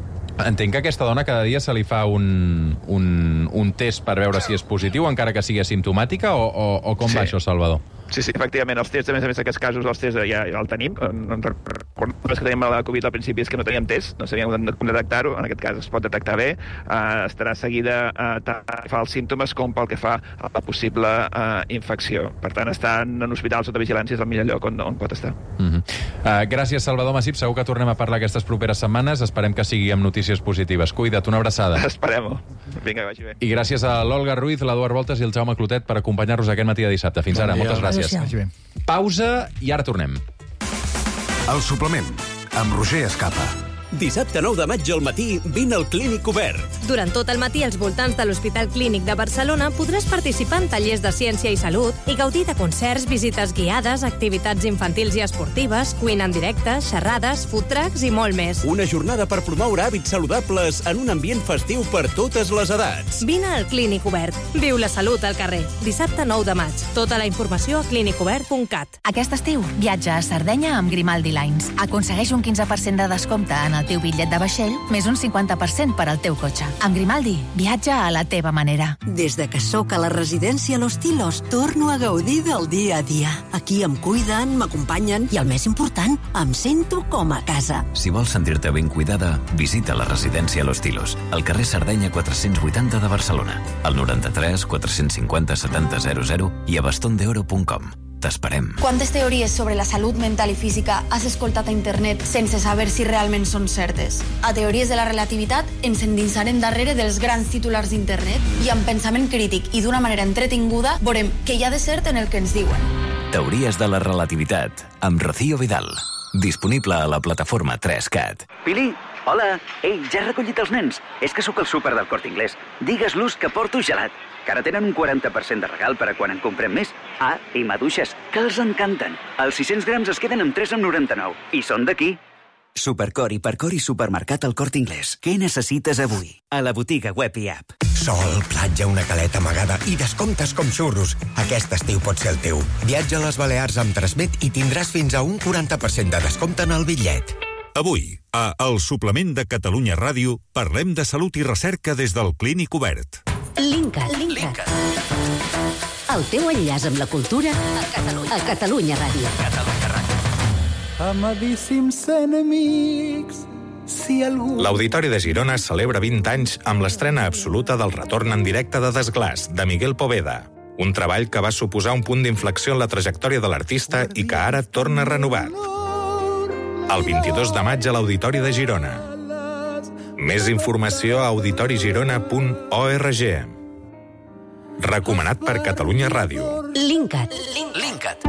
Entenc que a aquesta dona cada dia se li fa un, un, un test per veure si és positiu, encara que sigui asimptomàtica, o, o, o com sí. va això, Salvador? Sí, sí, efectivament, els tests, a més a més, aquests casos, els tests ja, ja el tenim. El que tenim a la Covid al principi és que no teníem test, no sabíem com detectar-ho, en aquest cas es pot detectar bé, uh, estarà seguida uh, tant pel que fa als símptomes com pel que fa a la possible uh, infecció. Per tant, estar en un hospital sota vigilància és el millor lloc on, on pot estar. Uh -huh. uh, gràcies, Salvador Massip. Segur que tornem a parlar aquestes properes setmanes. Esperem que sigui amb notícies positives. Cuida't, una abraçada. Esperem-ho. Vinga, que vagi bé. I gràcies a l'Olga Ruiz, l'Eduard Voltes i el Jaume Clotet per acompanyar-nos aquest matí de dissabte. Fins ara, moltes gràcies. Gràcies. Pausa i ara tornem. El suplement, amb Roger Escapa. Dissabte nou de maig al matí, vine al Clínic Obert. Durant tot el matí, als voltants de l'Hospital Clínic de Barcelona, podràs participar en tallers de ciència i salut i gaudir de concerts, visites guiades, activitats infantils i esportives, cuina en directe, xerrades, food trucks i molt més. Una jornada per promoure hàbits saludables en un ambient festiu per totes les edats. Vine al Clínic Obert. Viu la salut al carrer. Dissabte nou de maig. Tota la informació a clínic obert punt cat. Aquest estiu, viatja a Sardenya amb Grimaldi Lines. Aconsegueix un quinze per cent de descompte en el teu bitllet de vaixell, més un cinquanta per cent per al teu cotxe. Amb Grimaldi, viatja a la teva manera. Des de que sóc a la residència Los Tilos, torno a gaudir del dia a dia. Aquí em cuiden, m'acompanyen i, el més important, em sento com a casa. Si vols sentir-te ben cuidada, visita la residència Los Tilos, al carrer Sardenya quatre-cents vuitanta de Barcelona, al noranta-tres quatre-cents cinquanta setanta zero zero i a baston de oro punt com. T'esperem. Quantes teories sobre la salut mental i física has escoltat a internet sense saber si realment són certes? A Teories de la Relativitat ens endinsarem darrere dels grans titulars d'internet i amb pensament crític i d'una manera entretinguda veurem què hi ha de cert en el que ens diuen. Teories de la Relativitat, amb Rocío Vidal. Disponible a la plataforma tres cat. Pili, hola. Ei, ja he recollit els nens. És que sóc al súper del Corte Inglés. Digues-los que porto gelat, que ara tenen un quaranta per cent de regal per a quan en comprem més. Ah, i maduixes, que els encanten. Els sis-cents grams es queden amb tres coma noranta-nou. I són d'aquí. Supercor, Hipercor i Supermercat al Corte Inglés. Què necessites avui? A la botiga web i app. Sol, platja, una caleta amagada i descomptes com xurros. Aquest estiu pot ser el teu. Viatja a les Balears amb Transmet i tindràs fins a un quaranta per cent de descompte en el bitllet. Avui, a El Suplement de Catalunya Ràdio, parlem de salut i recerca des del Clínic Obert. Linkat. Linkat. El teu enllaç amb la cultura a Catalunya, a Catalunya Ràdio. Catalunya Ràdio. Amadíssims enemics, si algú... L'Auditori de Girona celebra vint anys amb l'estrena absoluta del retorn en directe de Desglaç, de Miguel Poveda. Un treball que va suposar un punt d'inflexió en la trajectòria de l'artista i que ara torna renovat. El vint-i-dos de maig a l'Auditori de Girona. Més informació a auditorigirona punt org. Recomanat per Catalunya Ràdio. Linkat. Linkat.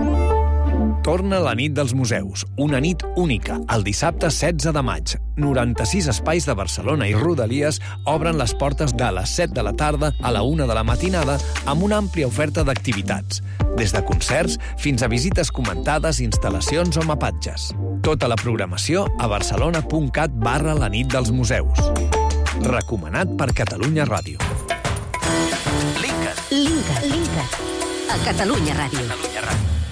Torna la nit dels museus, una nit única, el dissabte setze de maig. noranta-sis espais de Barcelona i Rodalies obren les portes de les set de la tarda a la una de la matinada amb una àmplia oferta d'activitats, des de concerts fins a visites comentades, instal·lacions o mapatges. Tota la programació a barcelona.cat barra la nit dels museus. Recomanat per Catalunya Ràdio. Linkat. Linkat. Linkat. A Catalunya Ràdio.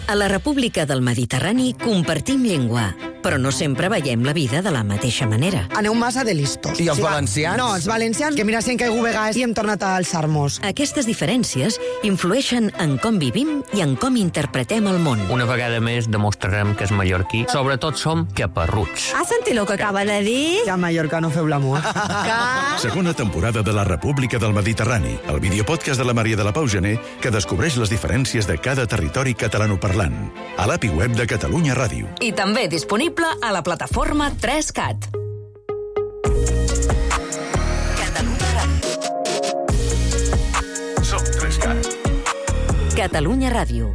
A la República del Mediterrani compartim llengua, però no sempre veiem la vida de la mateixa manera. Aneu massa de listos. I els Sí, va. valencians? No, els valencians, que mira si hem caigut vegades i hem tornat a alçar-nos. Aquestes diferències influeixen en com vivim i en com interpretem el món. Una vegada més demostrarem que és mallorquí. Sobretot som caparruts. Has sentit el que acaba de dir? Que a Mallorca no feu l'amor. Segona temporada de la República del Mediterrani, el videopodcast de la Maria de la Pau Gené que descobreix les diferències de cada territori catalanoparlant. A l'A P I web de Catalunya Ràdio. I també disponible a la plataforma tres cat. Som tres cat. Catalunya Ràdio.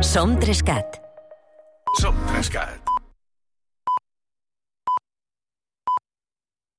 Som tres cat. Som tres cat.